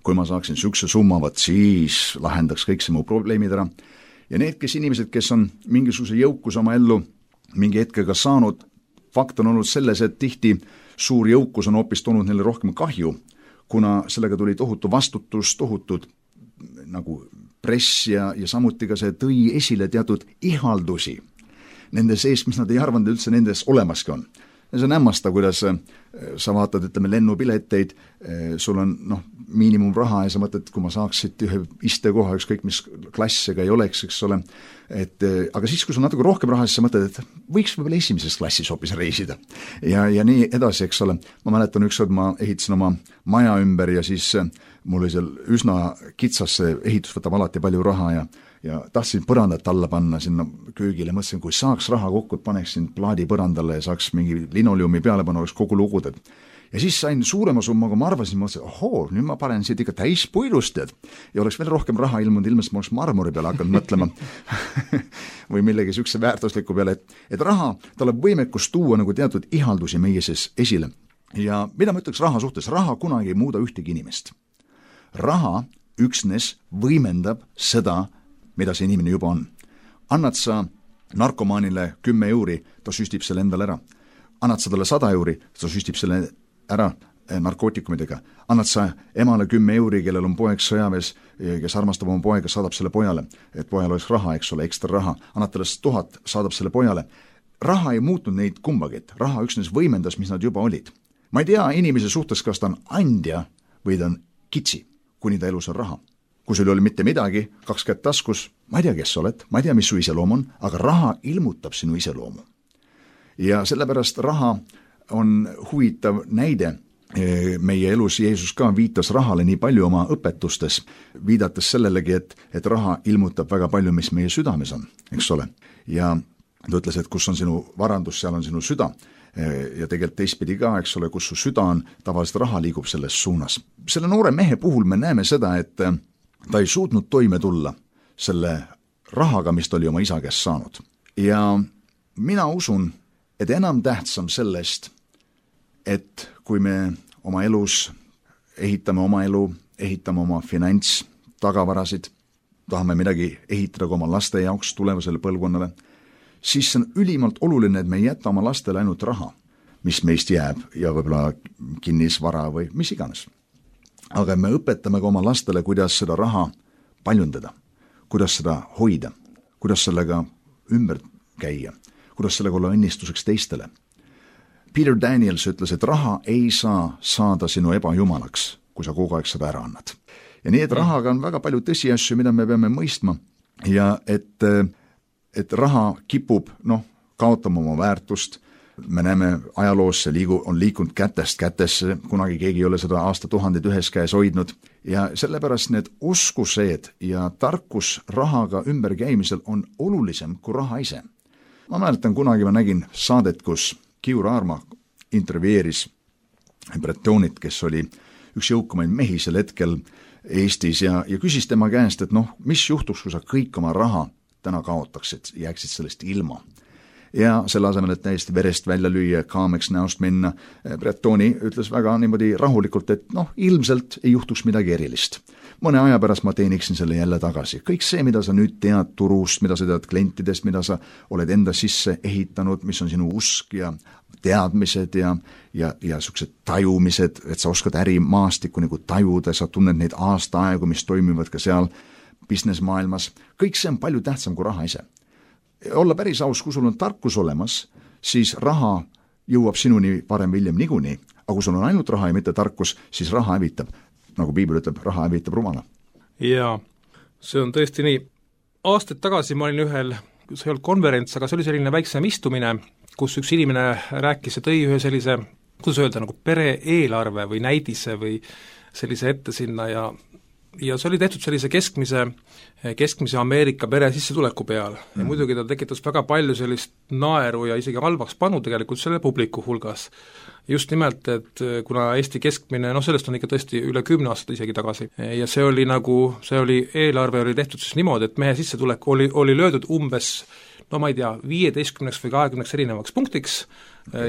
Kui ma saaksin sükse summa, siis lahendaks kõik see mu probleemid ära. Ja need, inimesed, kes on mingisuguse jõukus oma ellu mingi hetkega saanud, fakt on olnud selles, et tihti suur jõukus on hoopis toonud neile rohkem kahju, kuna sellega tuli tohutu vastutus, tohutud nagu press ja samuti ka see tõi esile teatud ihaldusi nende sees, mis nad ei arvanud üldse nendes olemaski on. ja see on hämmastav, kuidas sa vaatad, ütleme, lennupileteid, sul on miinimumraha ja sa mõtled, kui ma saaks siit ühe istekoha, ükskõik mis klass ega ei oleks, eks ole, aga siis, kui sul natuke rohkem raha, siis sa mõtled, et võiks võib-olla esimeses klassis hoopis reisida. Ja nii edasi, eks ole. Ma mäletan ükskord, ma ehitasin oma maja ümber ja siis mul oli seal üsna kitsas, see ehitus võtab alati palju raha ja tahtsin põrandat alla panna sinna köögile, mõtlesin, kui saaks raha kokku, et paneksin plaadi põrandale ja saaks mingi linoleumi peale panna, oleks kogu luguded. Ja siis sain suurema summa, kui ma arvasin, mõtlesin, nüüd ma panen siit ikka täis puidust, ja oleks veel rohkem raha ilmunud, ilmselt ma oleks marmori peale hakanud mõtlema või millegi sükse väärtusliku peale, et raha, tal on võimekus tuua nagu teatud ihaldusi meie sees esile. Ja mida ma ütleks raha suhtes? Raha kunagi ei muuda ühtegi inimest. Raha üksnes võimendab seda, mida see inimene juba on. Annad sa narkomaanile 10 euri, ta süstib selle endale ära. Annad sa talle 100 euri, ta süstib selle ära narkootikumidega. Annad sa emale 10 euri, kellel on poeg sõjaväes, kes armastab oma poega, saadab selle pojale, et pojal oleks raha, eks ole, ekstra raha. Annad talle 1000, saadab selle pojale. Raha ei muutnud neid kumbagit. Raha üksnes võimendas, mis nad juba olid. Ma ei tea inimese suhtes, kas ta on andja või ta on kitsi, kuni ta elus on raha. Kui sul oli mitte midagi, 2 kätt taskus, ma ei tea, kes sa oled, ma ei tea, mis su iseloom on, aga raha ilmutab sinu iseloomu. Ja sellepärast raha on huvitav näide meie elus. Jeesus ka viitas rahale nii palju oma õpetustes, viidates sellelegi, et raha ilmutab väga palju, mis meie südames on, eks ole. Ja ta ütles, et kus on sinu varandus, seal on sinu süda. Ja tegelikult teistpidi ka, eks ole, kus su süda on, tavaliselt raha liigub selles suunas. Selle noore mehe puhul me näeme seda, et ta ei suutnud toime tulla selle rahaga, mis ta oli oma isa käest saanud. Ja mina usun, et enam tähtsam sellest, et kui me oma elus ehitame oma elu, ehitame oma finants, tagavarasid, tahame midagi ehitada ka oma laste jaoks tulevasele põlvkonnale, siis on ülimalt oluline, et me ei jäta oma lastele ainult raha, mis meist jääb ja võib-olla kinnisvara või mis iganes. Aga me õpetame ka oma lastele, kuidas seda raha paljundada, kuidas seda hoida, kuidas sellega ümber käia, kuidas sellega olla õnnistuseks teistele. Peter Daniels ütles, et raha ei saa saada sinu ebajumalaks, kui sa kogu aeg seda ära annad. Ja nii, et rahaga on väga palju tõsiasju, mida me peame mõistma ja et raha kipub kaotama oma väärtust. Me näeme ajaloos, see on liikunud kätest kätesse, kunagi keegi ei ole seda aastatuhandeid ühes käes hoidnud ja sellepärast need oskused ja tarkus rahaga ümberkäimisel on olulisem kui raha ise. Ma mäletan, kunagi ma nägin saadet, kus Kiur Aarma intervjueeris Bretonit, kes oli üks jõukamaid mehi sel hetkel Eestis ja küsis tema käest, et mis juhtuks, kui sa kõik oma raha täna kaotaksid, jääksid sellest ilma. Ja selle asemel, et täiesti verest välja lüüa, kaameks näost minna, Bretoni ütles väga niimoodi rahulikult, et ilmselt ei juhtuks midagi erilist. Mõne aja pärast ma teeniksin selle jälle tagasi. Kõik see, mida sa nüüd tead turust, mida sa tead klientidest, mida sa oled enda sisse ehitanud, mis on sinu usk ja teadmised ja sellised tajumised, et sa oskad ärimaastikku nagu tajuda, sa tunned neid aastaaegu, mis toimivad ka seal business-maailmas. Kõik see on palju tähtsam kui raha ise. Olla päris aus, kui sul on tarkus olemas, siis raha jõuab sinuni varem hiljem niikuinii, aga kui sul on ainult raha ja mitte tarkus, siis raha hävitab. Nagu Piibel ütleb, raha hävitab rumala. Jaa, see on tõesti nii. Aastaid tagasi ma olin ühel, see ei olnud konverents, aga see oli selline väiksem istumine, kus üks inimene rääkis ja tõi ühe sellise, kuidas öelda, nagu pere-eelarve või näidise või sellise ette sinna ja see oli tehtud sellise keskmise Ameerika pere sissetuleku peal ja muidugi ta tekitas väga palju sellist naeru ja isegi halvaks panu tegelikult selle publiku hulgas. Just nimelt, et kuna Eesti keskmine, sellest on ikka tõesti üle 10 aastat isegi tagasi ja see oli eelarve oli tehtud siis niimoodi, et mehe sissetulek oli löödud umbes ma ei tea, 15 või 20 erinevaks punktiks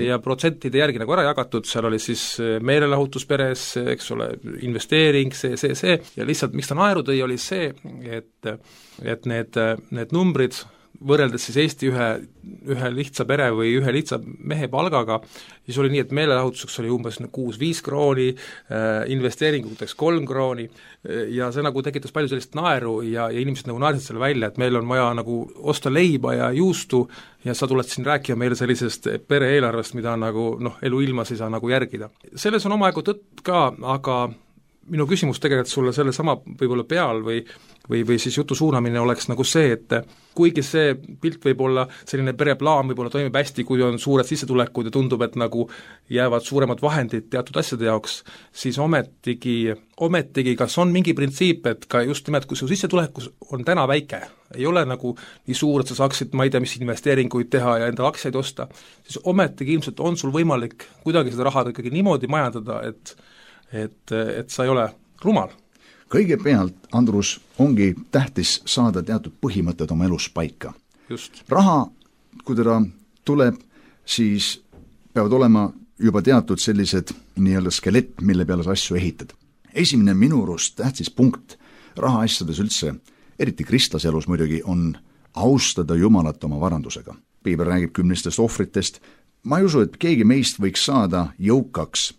ja protsentide järgi nagu ära jagatud, seal oli siis meelelahutus peres, eks ole, investeering, see ja lihtsalt miks ta naeru tõi, oli see, et need numbrid võrreldes siis Eesti ühe lihtsa pere või ühe lihtsa mehe palgaga, siis oli nii, et meelelahutuseks oli umbes 6-5 krooni, investeeringuteks 3 krooni ja see nagu tekitas palju sellist naeru ja inimesed nagu naersid selle välja, et meil on vaja nagu osta leiba ja juustu ja sa tuled siin rääkima meile sellisest pere-eelarvest, mida nagu eluilmas ei saa nagu järgida. Selles on omajagu tõtt ka, aga minu küsimus tegelikult sulle selle sama võib-olla peal või siis jutu suunamine oleks nagu see, et kuigi see pilt võib olla, selline pereplaan võib-olla toimib hästi, kui on suured sissetulekud ja tundub, et nagu jäävad suuremad vahendid teatud asjade jaoks, siis ometigi kas on mingi printsiip, et ka just nimelt, kui su sissetulekus on täna väike, ei ole nagu nii suur, et sa saaksid, ma ei tea, mis investeeringuid teha ja enda aktsiaid osta, siis ometigi ilmselt on sul võimalik kuidagi seda raha ikkagi niimoodi majandada, et sa ei ole rumal. Kõigepealt, Andrus, ongi tähtis saada teatud põhimõtted oma elus paika. Just. Raha, kui teda tuleb, siis peavad olema juba teatud sellised nii-öelda skelett, mille peale sa asju ehitad. Esimene minu arust tähtis punkt raha asjades üldse, eriti kristlase elus muidugi, on austada Jumalat oma varandusega. Piibel räägib 10 ohvritest. Ma ei usu, et keegi meist võiks saada jõukaks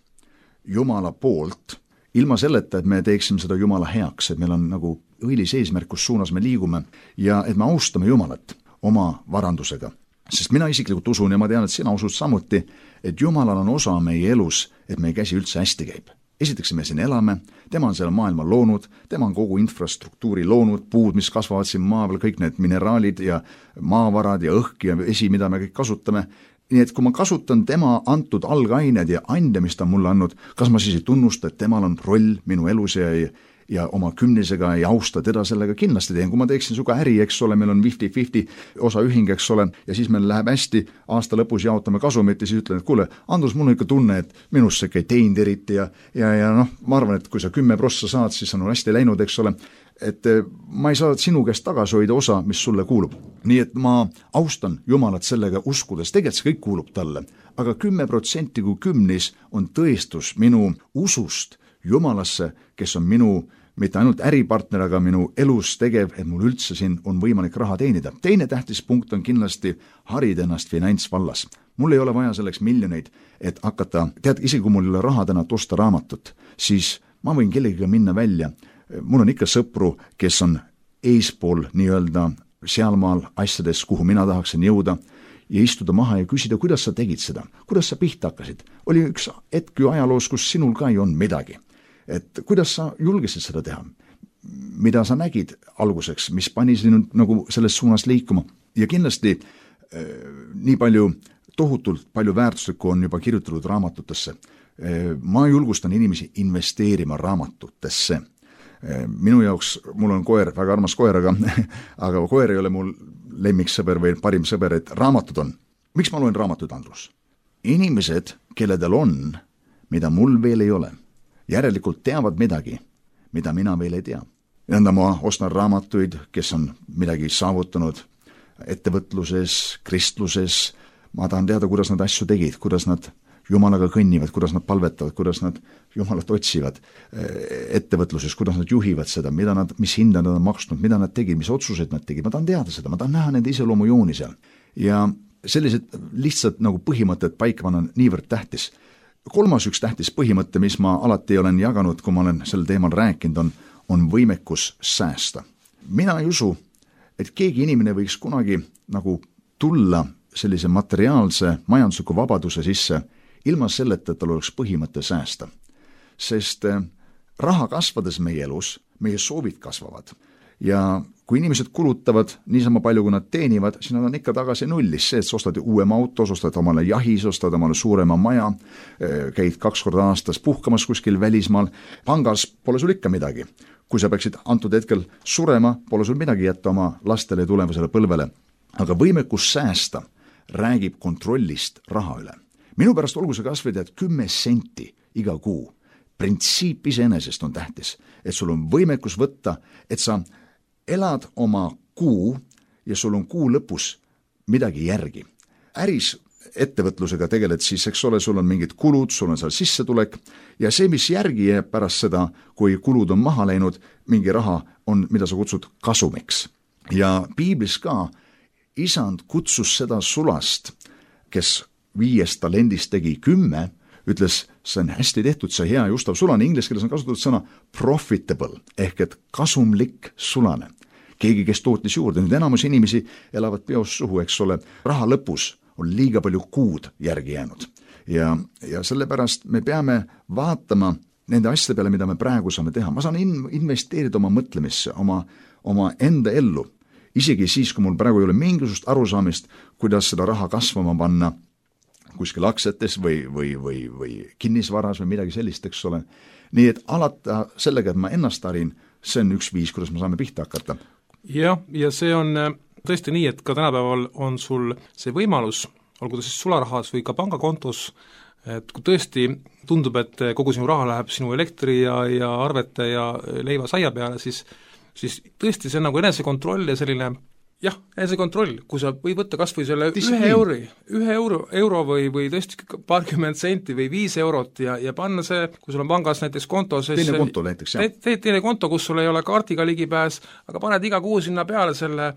Jumala poolt, ilma selleta, et me teeksime seda Jumala heaks, et meil on nagu õilis eesmärk, kus suunas me liigume ja et me austame Jumalat oma varandusega. Sest mina isiklikult usun ja ma tean, et sina usud samuti, et Jumalal on osa meie elus, et meie käsi üldse hästi käib. Esiteks me siin elame, tema on selle maailma loonud, tema on kogu infrastruktuuri loonud, puud, mis kasvavad siin maa peal, kõik need mineraalid ja maavarad ja õhk ja vesi, mida me kõik kasutame. Nii et kui ma kasutan tema antud algained ja ande, mis ta mulle andnud, kas ma siis ei tunnusta, et temal on roll minu elus ja oma kümnisega ei austa teda sellega kindlasti teen. Kui ma teeksin suga äri, eks ole, meil on 50-50 osaühing, eks ole, ja siis meil läheb hästi, aasta lõpus jaotame kasumit ja siis ütlen, et kuule, Andrus, mul on ikka tunne, et minust see ei teinud eriti ja ma arvan, et kui sa 10 prossa saad, siis on hästi läinud, eks ole, et ma ei saa sinu käest tagasi hoida osa, mis sulle kuulub. Nii et ma austan Jumalat sellega uskudes, tegelikult see kõik kuulub talle, aga 10% kui 10 on tõestus minu usust Jumalasse, kes on minu mitte ainult äripartner, aga minu elus tegev, et mul üldse siin on võimalik raha teenida. Teine tähtis punkt on kindlasti harida ennast finantsvallas. Mul ei ole vaja selleks miljoneid, et hakata, isegi kui mul ei ole raha täna osta raamatut, siis ma võin kellegiga minna välja. Mul on ikka sõpru, kes on eespool nii-öelda sealmaal asjades, kuhu mina tahaksin jõuda ja istuda maha ja küsida, kuidas sa tegid seda, kuidas sa pihta hakkasid. Oli üks hetk ju ajaloos, kus sinul ka ei olnud midagi. Et kuidas sa julgesid seda teha? Mida sa nägid alguseks, mis pani sinu nagu selles suunas liikuma? Ja kindlasti nii palju, tohutult palju väärtuslikku on juba kirjutatud raamatutesse. Ma julgustan inimesi investeerima raamatutesse. Minu jaoks, mul on koer, väga armas koer, aga koer ei ole mul lemmiksõber või parim sõber, et raamatud on. Miks ma loen raamatud, Andrus? Inimesed, kelledel on, mida mul veel ei ole, järelikult teavad midagi, mida mina veel ei tea. Nõnda ma ostan raamatuid, kes on midagi saavutanud ettevõtluses, kristluses. Ma tahan teada, kuidas nad asju tegid, kuidas nad Jumalaga kõnnivad, kuidas nad palvetavad, kuidas nad Jumalat otsivad ettevõtluses, kuidas nad juhivad seda, mis hinda nad on maksnud, mida nad tegid, mis otsused nad tegid. Ma tahan teada seda, ma tahan näha nende iseloomujooni seal. Ja sellised lihtsalt nagu põhimõtted paika panna on niivõrd tähtis. Kolmas üks tähtis põhimõte, mis ma alati olen jaganud, kui ma olen sel teemal rääkinud, on võimekus säästa. Mina ei usu, et keegi inimene võiks kunagi nagu tulla sellise materiaalse majandusliku vabaduse sisse ilma selleta, et tal oleks põhimõte säästa. Sest raha kasvades meie elus, meie soovid kasvavad. Ja kui inimesed kulutavad niisama palju, kui nad teenivad, siis nad on ikka tagasi nullis. See, et sa ostad uuema autos, ostad omale jahis, ostad omale suurema maja, käid 2 korda aastas puhkamas kuskil välismaal, pangas pole sul ikka midagi. Kui sa peaksid antud hetkel surema, pole sul midagi jätta oma lastele ja tulevasele põlvele. Aga võimekus säästa räägib kontrollist raha üle. Minu pärast olgu see kasvõi 10 senti iga kuu. Printsiip iseenesest on tähtis, et sul on võimekus võtta, et sa elad oma kuu ja sul on kuu lõpus midagi järgi. Äris ettevõtlusega tegeled siis, eks ole, sul on mingid kulud, sul on seal sissetulek ja see, mis järgi jääb pärast seda, kui kulud on maha läinud, mingi raha on, mida sa kutsud kasumiks. Ja piiblis ka isand kutsus seda sulast, kes 5 talendist tegi 10, ütles, see on hästi tehtud, see hea Justav sulane, inglise keeles on kasutatud sõna profitable, ehk et kasumlik sulane. Keegi, kes tootis juurde, nüüd enamus inimesi elavad peos suhu, eks ole, raha lõpus on liiga palju kuud järgi jäänud. Ja sellepärast me peame vaatama nende asjade peale, mida me praegu saame teha. Ma saan investeerida oma mõtlemisse, oma enda ellu, isegi siis, kui mul praegu ei ole mingisugust arusaamist, kuidas seda raha kasvama panna kuskil aktsiates või kinnisvaras või midagi sellist, eks ole. Nii et alata sellega, et ma ennast harin, see on üks viis, kuidas me saame pihta hakata. Ja see on tõesti nii, et ka tänapäeval on sul see võimalus, olgu ta siis sularahas või ka pangakontos, et kui tõesti tundub, et kogu sinu raha läheb sinu elektri ja arvete ja leiva saia peale, siis tõesti see on nagu enesekontroll ja selline enesekontroll, kui sa võid võtta kas või selle 1 euro või tõesti paarkümmend senti või 5 eurot ja panna see, kui sul on pangas näiteks konto, teine konto näiteks, jah. Teine konto, kus sul ei ole kaardiga ligipääs, aga paned iga kuu sinna peale selle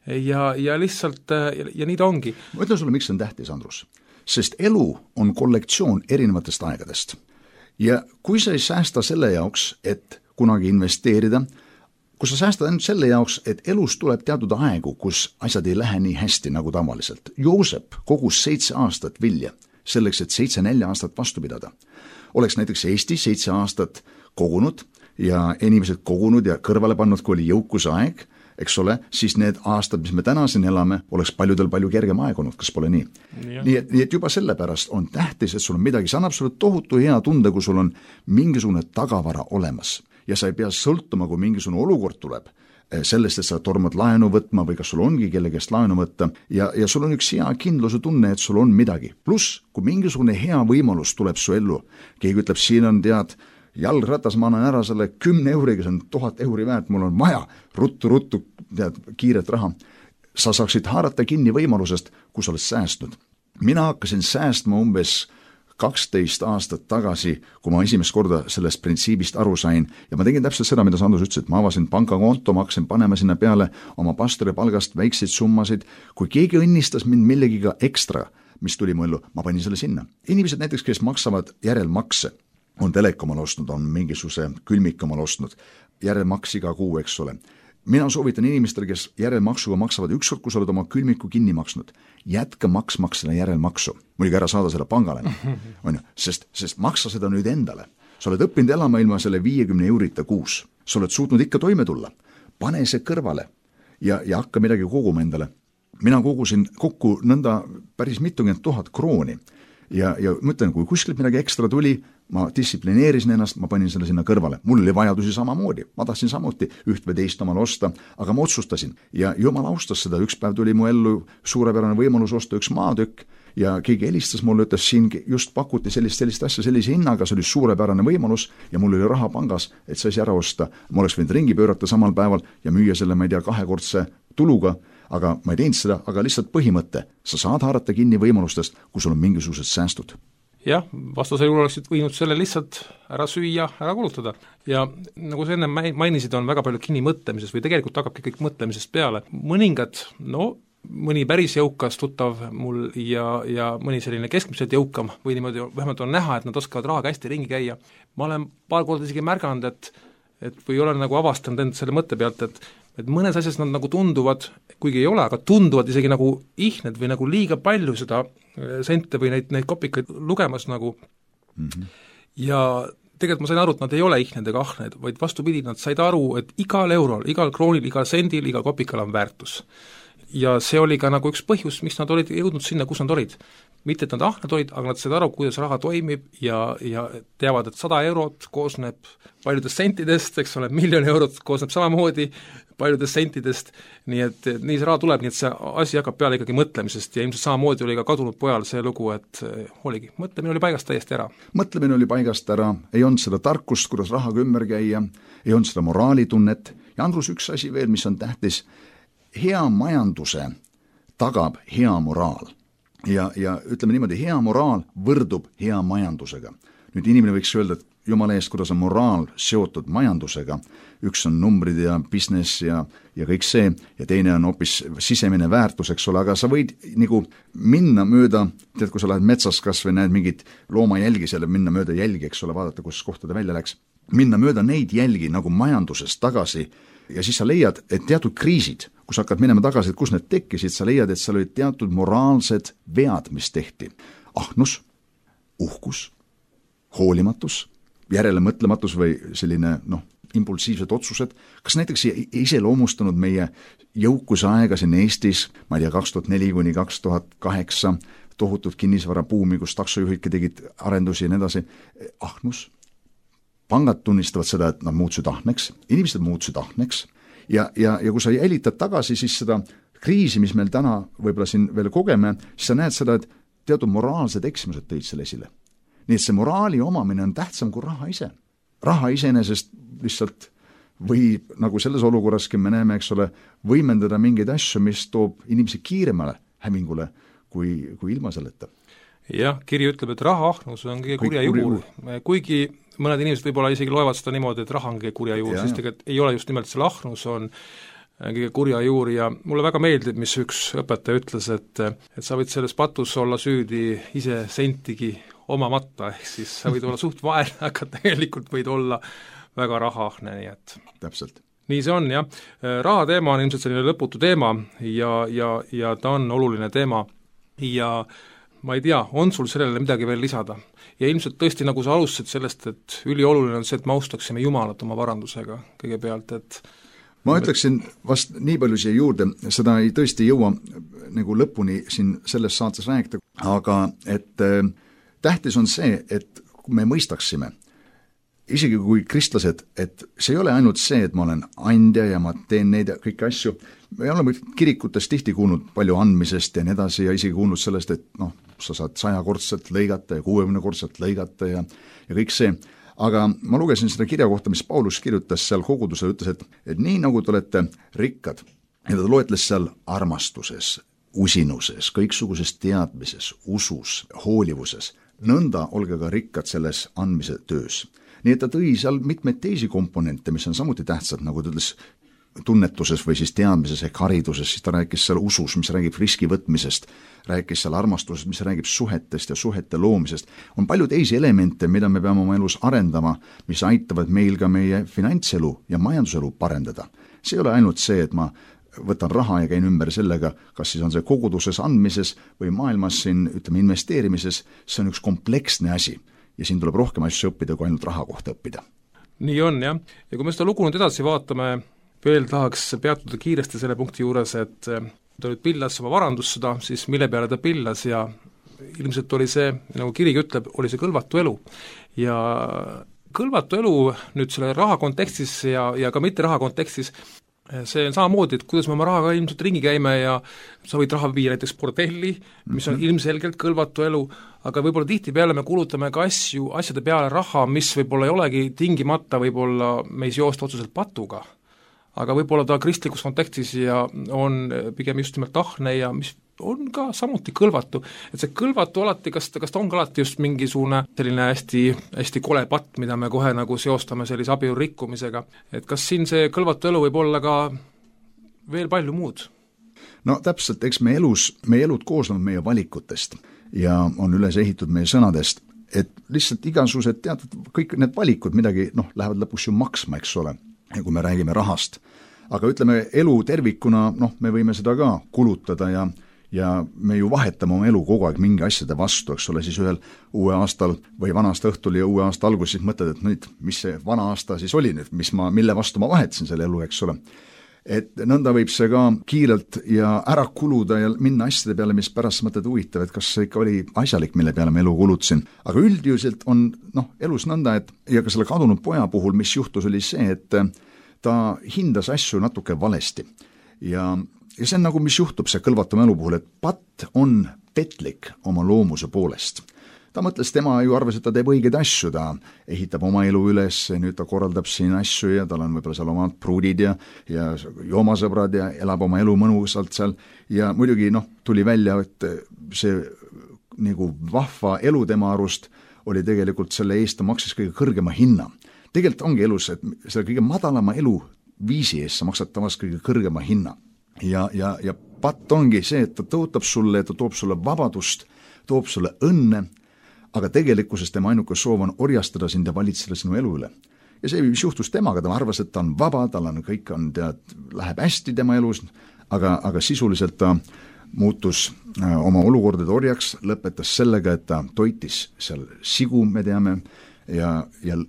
ja lihtsalt ja nii ta ongi. Ma ütlen sulle, miks see on tähtis, Andrus. Sest elu on kollektsioon erinevatest aegadest. Ja kui sa ei säästa selle jaoks, et kunagi investeerida, kui sa säästad ainult selle jaoks, et elus tuleb teatud aegu, kus asjad ei lähe nii hästi nagu tavaliselt. Joosep kogus 7 aastat vilja, selleks, et 7-4 aastat vastu pidada. Oleks näiteks Eesti 7 aastat kogunud ja inimesed kogunud ja kõrvale pannud, kui oli jõukuse aeg, eks ole, siis need aastad, mis me täna siin elame, oleks paljudel palju kergem aeg olnud, kas pole nii? Nii et juba sellepärast on tähtis, et sul on midagi, see annab sulle tohutu hea tunde, kui sul on mingisugune tagavara olemas. Ja sa ei pea sõltuma, kui mingisugune olukord tuleb sellest, et sa tormad laenu võtma või kas sul ongi kellegest laenu võtta ja sul on üks hea kindluse tunne, et sul on midagi. Pluss, kui mingisugune hea võimalus tuleb su ellu, keegi ütleb, siin on jalgratas, ma annan ära selle 10 euriga, see on 1000 euri väärt, mul on vaja ruttu, kiiret raha. Sa saaksid haarata kinni võimalusest, kui sa oled säästnud. Mina hakkasin säästma umbes 12 aastat tagasi, kui ma esimest korda sellest printsiibist aru sain ja ma tegin täpselt seda, mida Sandus ütles, et ma avasin pangakonto, ma hakkasin panema sinna peale oma pastori palgast väikseid summasid, kui keegi õnnistas mind millegiga ekstra, mis tuli mu ellu, ma panin selle sinna. Inimesed näiteks, kes maksavad järelmakse, on telek omal ostnud, on mingisuguse külmik omal ostnud, järelmaks iga kuu, eks ole. Mina soovitan inimestele, kes järelmaksuga maksavad ükskord, kui sa oled oma külmiku kinni maksnud, jätka maksmaksele järelmaksu. Muidugi ära saada seda pangale, sest maksa seda nüüd endale. Sa oled õppinud elama ilma selle 50 eurita kuus. Sa oled suutnud ikka toime tulla. Pane see kõrvale ja hakka midagi koguma endale. Mina kogusin kokku nõnda päris mitukümmend 1000 krooni ja mõtlen, kui kuskilt midagi ekstra tuli, ma distsiplineerisin ennast, ma panin selle sinna kõrvale. Mul oli vajadusi samamoodi, ma tahtsin samuti üht või teist omal osta, aga ma otsustasin ja jumal austas seda. Üks päev tuli mu ellu suurepärane võimalus osta üks maatükk ja keegi helistas mulle, ütles, siin just pakuti sellist asja sellise hinnaga, see oli suurepärane võimalus ja mul oli raha pangas, et see asi ära osta. Ma oleks võinud ringi pöörata samal päeval ja müüa selle, ma ei tea, 2-kordse tuluga, aga ma ei teinud seda, aga lihtsalt põhimõte. Sa saad haarata kinni võimalustest, kui sul on mingisugused säästud. Jah, vastasel juhul oleksid võinud selle lihtsalt ära süüa, ära kulutada. Ja nagu sa enne mainisid, on väga palju kinni mõtlemises või tegelikult hakkabki kõik mõtlemisest peale. Mõningad, mõni päris jõukas tuttav mul ja mõni selline keskmiselt jõukam või niimoodi vähemalt on näha, et nad oskavad rahaga hästi ringi käia. Ma olen paar korda isegi märganud, et või olen nagu avastanud end selle mõtte pealt, et mõnes asjas nad nagu tunduvad, kuigi ei ole, aga tunduvad isegi nagu ihned või nagu liiga palju seda sente või neid kopikaid lugemas nagu. Ja tegelikult ma sain aru, et nad ei ole ihned ega ahned, vaid vastupidi, nad said aru, et igal eurol, igal kroonil, igal sendil, igal kopikal on väärtus. Ja see oli ka nagu üks põhjus, miks nad olid jõudnud sinna, kus nad olid. Mitte, et nad ahned olid, aga nad said aru, kuidas raha toimib ja teavad, et 100 eurot koosneb paljudest sentidest, eks ole, 1 000 000 eurot koosneb samamoodi paljudest sentidest, nii et nii see raha tuleb, nii et see asi hakkab peale ikkagi mõtlemisest ja ilmselt samamoodi oli ka kadunud pojal see lugu, et oligi, mõtlemine oli paigast täiesti ära. Mõtlemine oli paigast ära, ei olnud seda tarkust, kuidas rahaga ümber käia, ei olnud seda moraalitunnet ja Andrus, üks asi veel, mis on tähtis, hea majanduse tagab hea moraal ja ütleme niimoodi, hea moraal võrdub hea majandusega. Nüüd inimene võiks öelda, et jumala eest, kuidas on moraal seotud majandusega, üks on numbrid ja business ja kõik see, ja teine on hoopis sisemine väärtus, eks ole, aga sa võid nagu minna mööda, tead, kui sa lähed metsas kas või näed mingit loomajälgi seal, minna mööda jälgi, eks ole, vaadata, kus kohta ta välja läks, minna mööda neid jälgi nagu majanduses tagasi ja siis sa leiad, et teatud kriisid, kui sa hakkad minema tagasi, et kus need tekkisid, sa leiad, et seal olid teatud moraalsed vead, mis tehti. Ahnus, uhkus, hoolimatus, järelemõtlematus või selline, impulsiivsed otsused, kas näiteks iseloomustanud meie jõukuse aega siin Eestis, ma ei tea, 2004 kuni 2008, tohutud kinnisvarabuumi, kus taksojuhidki tegid arendusi ja nii edasi, ahnus, pangad tunnistavad seda, et nad muutusid ahneks, inimesed muutusid ahneks ja kui sa jälitad tagasi siis seda kriisi, mis meil täna võib-olla siin veel kogeme, siis sa näed seda, et teatud moraalsed eksimused tõid selle esile. Nii et see moraali omamine on tähtsam kui raha ise. Raha iseenesest lihtsalt või nagu selles olukorraski me näeme, eks ole, võimendada mingeid asju, mis toob inimesi kiiremale hävingule kui ilma selleta. Jah, kiri ütleb, et rahaahnus on kõige kurja juur. Kuigi mõned inimesed võib-olla isegi loevad seda niimoodi, et raha on kõige kurja juur, siis tegelikult ei ole just nimelt selle ahnus on kõige kurja juur ja mulle väga meeldib, mis üks õpetaja ütles, et sa võid selles patus olla süüdi ise sentigi omamata, ehk siis sa võid olla suht vaene, aga tegelikult võid olla väga rahaahne, nii et täpselt. Nii see on, jah. Raha teema on ilmselt selline lõputu teema ja ta on oluline teema ja ma ei tea, on sul sellele midagi veel lisada? Ja ilmselt tõesti, nagu sa alustasid sellest, et ülioluline on see, et me austaksime Jumalat oma varandusega kõigepealt, et ma ütleksin vast nii palju siia juurde, seda ei tõesti jõua nagu lõpuni siin selles saates rääkida, aga et tähtis on see, et me mõistaksime, isegi kui kristlased, et see ei ole ainult see, et ma olen andja ja ma teen neid kõiki asju, me oleme kirikutes tihti kuulnud palju andmisest ja nii edasi ja isegi kuulnud sellest, et sa saad 100-kordselt lõigata ja 60-kordselt lõigata ja kõik see. Aga ma lugesin seda kirja kohta, mis Paulus kirjutas seal kogudusele, ütles, et nii nagu te olete rikkad ja ta loetles seal armastuses, usinuses, kõiksuguses teadmises, usus, hoolivuses, nõnda olge ka rikkad selles andmise töös. Nii et ta tõi seal mitmeid teisi komponente, mis on samuti tähtsad, nagu ta ütles tunnetuses või siis teadmises ehk hariduses, siis ta rääkis seal usus, mis räägib riski võtmisest, rääkis seal armastusest, mis räägib suhetest ja suhete loomisest. On palju teisi elemente, mida me peame oma elus arendama, mis aitavad meil ka meie finantselu ja majanduselu parendada. See ei ole ainult see, et ma võtan raha ja käin ümber sellega, kas siis on see koguduses andmises või maailmas siin, ütleme, investeerimises, see on üks kompleksne asi ja siin tuleb rohkem asju õppida, kui ainult raha kohta õppida. Nii on, jah. Ja kui me seda lugu nüüd edasi vaatame, veel tahaks peatuda kiiresti selle punkti juures, et ta nüüd pillas oma varandust seda, siis mille peale ta pillas ja ilmselt oli see, nagu kirigi ütleb, oli see kõlvatu elu. Ja kõlvatu elu nüüd selle raha kontekstis ja ka mitte raha kontekstis, see on samamoodi, et kuidas me oma rahaga ilmselt ringi käime ja sa võid raha viia näiteks bordelli, mis on ilmselgelt kõlvatu elu, aga võib-olla tihtipeale me kulutame ka asjade peale raha, mis võib-olla ei olegi tingimata võib-olla meis joosta otseselt patuga. Aga võib-olla ta kristlikus kontekstis ja on pigem just nimelt ahne ja mis on ka samuti kõlvatu. Et see kõlvatu alati, kas ta on ka alati just mingisugune selline hästi kole patt, mida me kohe nagu seostame sellise abielu rikkumisega. Et kas siin see kõlvatu elu võib olla ka veel palju muud? No täpselt, eks meie elud koosnevad meie valikutest ja on üles ehitud meie sõnadest, et lihtsalt igasugused teatud kõik need valikud midagi lähevad lõpuks ju maksma, eks ole, kui me räägime rahast. Aga ütleme, elu tervikuna, me võime seda ka kulutada ja me ju vahetame oma elu kogu aeg mingi asjade vastu, eks ole, siis ühel uue aastal või vana aasta õhtul ja uue aasta algus siis mõtled, et nüüd, mis see vana aasta siis oli nüüd, mille vastu ma vahetasin selle elu, eks ole. Et nõnda võib see ka kiirelt ja ära kuluda ja minna asjade peale, mis pärast mõtled huvitav, et kas see ikka oli asjalik, mille peale ma elu kulutasin. Aga üldiselt on elus nõnda, et ja ka selle kadunud poja puhul, mis juhtus, oli see, et ta hindas asju natuke valesti. Ja see on nagu, mis juhtub see kõlvatuma elu puhul, et patt on petlik oma loomuse poolest. Ta mõtles, tema ju arvas, et ta teeb õigeid asju, ta ehitab oma elu üles, nüüd ta korraldab siin asju ja tal on võib-olla seal omad pruudid ja joomasõbrad ja elab oma elu mõnusalt seal ja muidugi tuli välja, et see nagu vahva elu tema arust oli tegelikult selle eest ta maksis kõige kõrgema hinna. Tegelikult ongi elus, et selle kõige madalama eluviisi eest sa maksad tavaliselt kõige kõrgema hinna. Ja patt ongi see, et ta tõotab sulle, et ta toob sulle vabadust, toob sulle õnne, aga tegelikkuses tema ainuke soov on orjastada sind ja valitseda sinu elu üle. Ja see, mis juhtus temaga, ta arvas, et ta on vaba, tal on kõik on, läheb hästi tema elus, aga sisuliselt ta muutus oma olukordade orjaks, lõpetas sellega, et ta toitis seal sigu, me teame, ja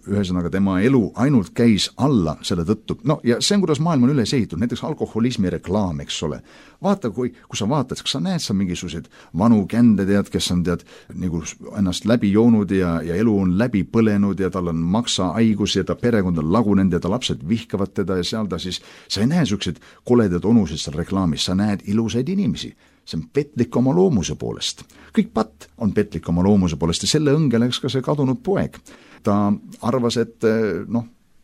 ühesõnaga tema elu ainult käis alla selle tõttu. No ja see on, kuidas maailm on üles ehitatud, näiteks alkoholismi reklaam, eks ole. Vaata, kui sa vaatad, kas sa näed sa mingisuguseid vanu kände, kes on nagu ennast läbi joonud ja elu on läbi põlenud ja tal on maksahaigus ja ta perekond on lagunenud ja ta lapsed vihkavad teda ja seal ta siis, sa ei näe sellised koledad onusid seal reklaamis, sa näed ilusaid inimesi. See on petlik oma loomuse poolest. Kõik patt on petlik oma loomuse poolest ja selle õnge läks ka see kadunud poeg. Ta arvas, et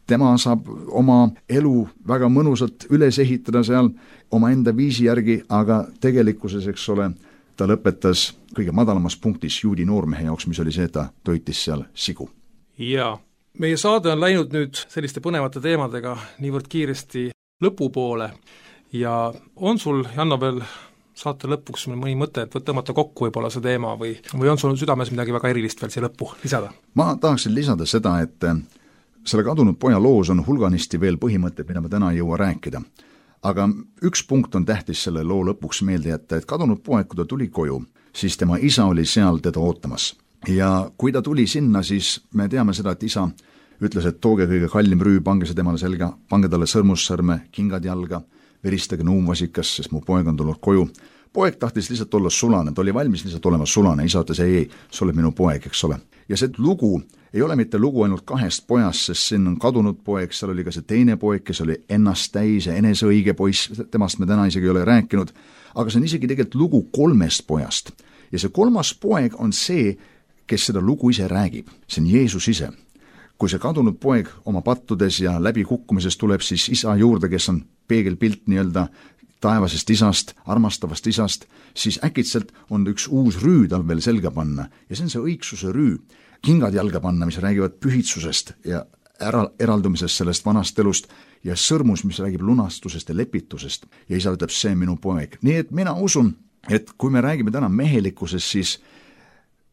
tema saab oma elu väga mõnusalt üles ehitada seal oma enda viisi järgi, aga tegelikkuses, eks ole, ta lõpetas kõige madalamas punktis juudi noormehe jaoks, mis oli see, et ta toitis seal sigu. Jaa, meie saade on läinud nüüd selliste põnevate teemadega niivõrd kiiresti lõpupoole ja on sul, Janno, veel saate lõpuks mõni mõte, et tõmmata kokku võib-olla see teema või on sul südames midagi väga erilist veel siia lõppu lisada? Ma tahaksin lisada seda, et selle kadunud poja loos on hulganisti veel põhimõtted, mida me täna ei jõua rääkida. Aga üks punkt on tähtis selle loo lõpuks meelde jätta, et kadunud poeg, kui ta tuli koju, siis tema isa oli seal teda ootamas. Ja kui ta tuli sinna, siis me teame seda, et isa ütles, et tooge kõige kallim rüü, pange see temale selga, pange talle sõrmussõrme, kingad jalga, veristage nuumvasikas, sest mu poeg on tulnud koju. Poeg tahtis lihtsalt olla sulane, ta oli valmis lihtsalt olema sulane, isa ütles, ei, sa oled minu poeg, eks ole. Ja see lugu ei ole mitte lugu ainult 2 pojast, sest siin on kadunud poeg, seal oli ka see teine poeg, kes oli ennast täis ja eneseõige poiss, temast me täna isegi ei ole rääkinud, aga see on isegi tegelikult lugu 3 pojast. Ja see 3. poeg on see, kes seda lugu ise räägib, see on Jeesus ise. Kui see kadunud poeg oma pattudes ja läbi kukkumises tuleb siis isa juurde, kes on peegelpilt nii-öelda taevasest isast, armastavast isast, siis äkitselt on üks uus rüü tal veel selga panna ja see on see õigsuse rüü, kingad jalga panna, mis räägivad pühitsusest ja eraldumisest sellest vanast elust ja sõrmus, mis räägib lunastusest ja lepitusest ja isa ütleb, see on minu poeg. Nii et mina usun, et kui me räägime täna mehelikkusest, siis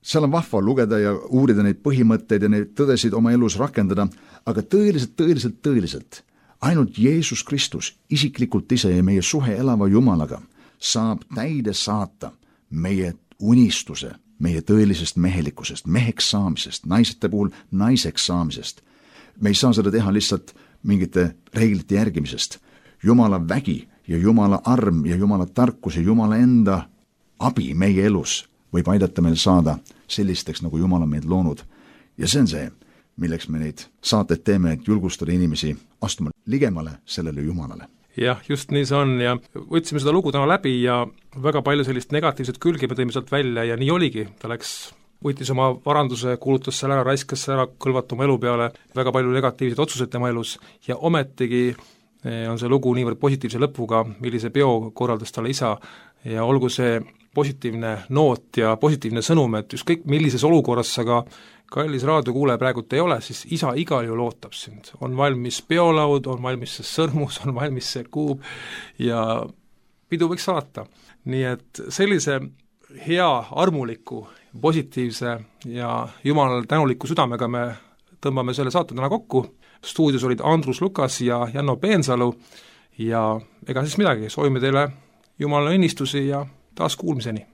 seal on vahva lugeda ja uurida neid põhimõtteid ja neid tõdesid oma elus rakendada, aga tõeliselt ainult Jeesus Kristus isiklikult ise ja meie suhe elava Jumalaga saab täide saata meie unistuse, meie tõelisest mehelikkusest, meheks saamisest, naisete puhul naiseks saamisest. Me ei saa seda teha lihtsalt mingite reeglite järgimisest. Jumala vägi ja Jumala arm ja Jumala tarkus ja Jumala enda abi meie elus võib aidata meil saada sellisteks, nagu Jumal on meid loonud. Ja see on see, milleks me neid saated teeme, et julgustada inimesi astuma ligemale sellele Jumalale. Jah, just nii see on ja võtsime seda lugu täna läbi ja väga palju sellist negatiivset külge me tõime sealt välja ja nii oligi, ta võttis oma varanduse, kuulutas seal ära, raiskas ära, kõlvata oma elu peale, väga palju negatiivseid otsuseid tema elus ja ometigi on see lugu niivõrd positiivse lõpuga, millise peo korraldas talle isa ja olgu see positiivne noot ja positiivne sõnum, et ükskõik millises olukorras sa ka kallis raadiokuulaja praegult ei ole, siis isa igal ju lootab sind. On valmis peolaud, on valmis see sõrmus, on valmis see kuub ja pidu võiks saata. Nii et sellise hea, armuliku, positiivse ja Jumalale tänuliku südamega me tõmbame selle saate täna kokku. Stuudios olid Andrus Lukas ja Janno Peensalu ja ega siis midagi, soovime teile Jumala õnnistusi ja taas kuulmiseni.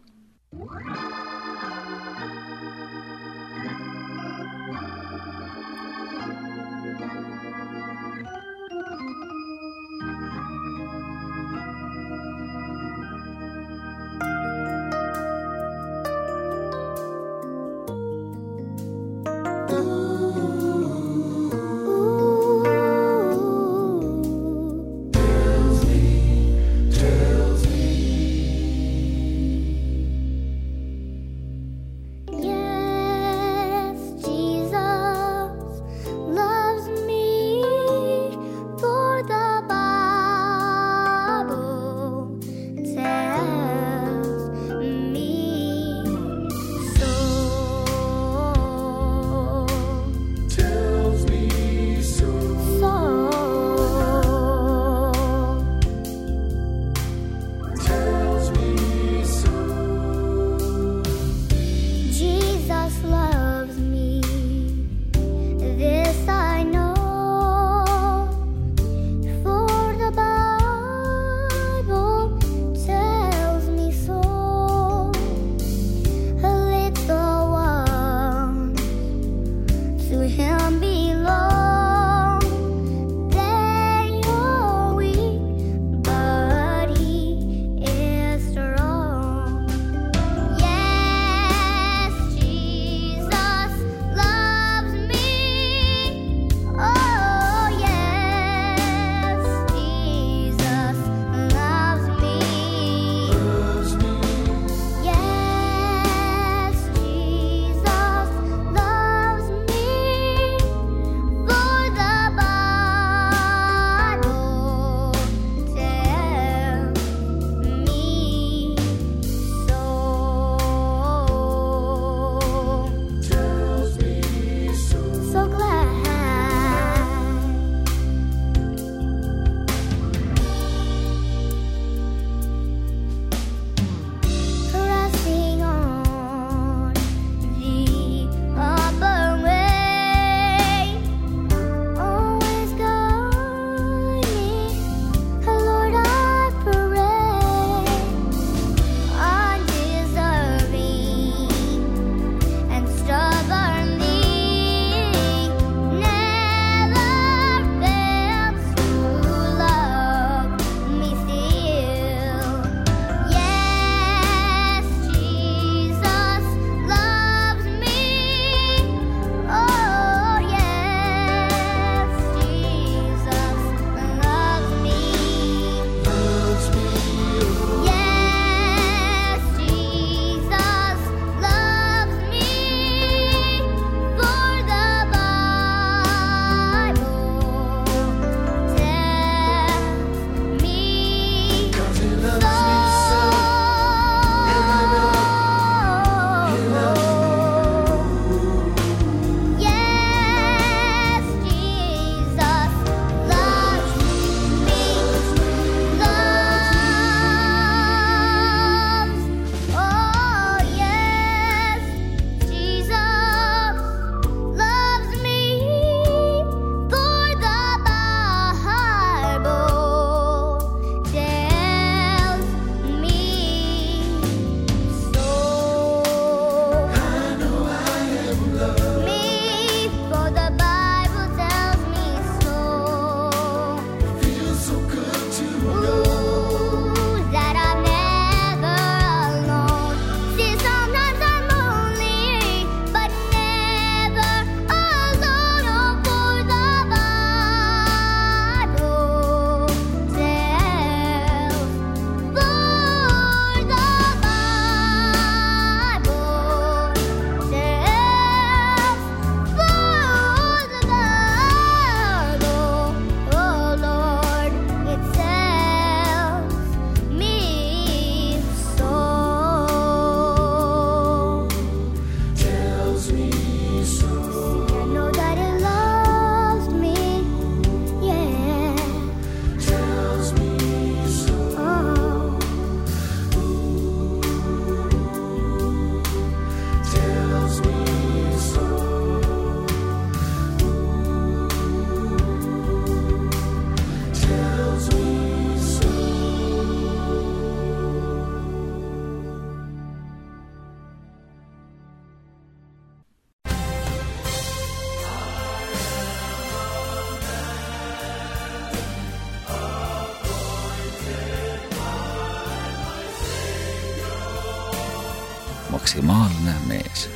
Maksimaalne mees.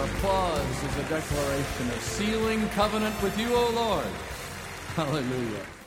Applause is a declaration of sealing covenant with you, O Lord. Hallelujah.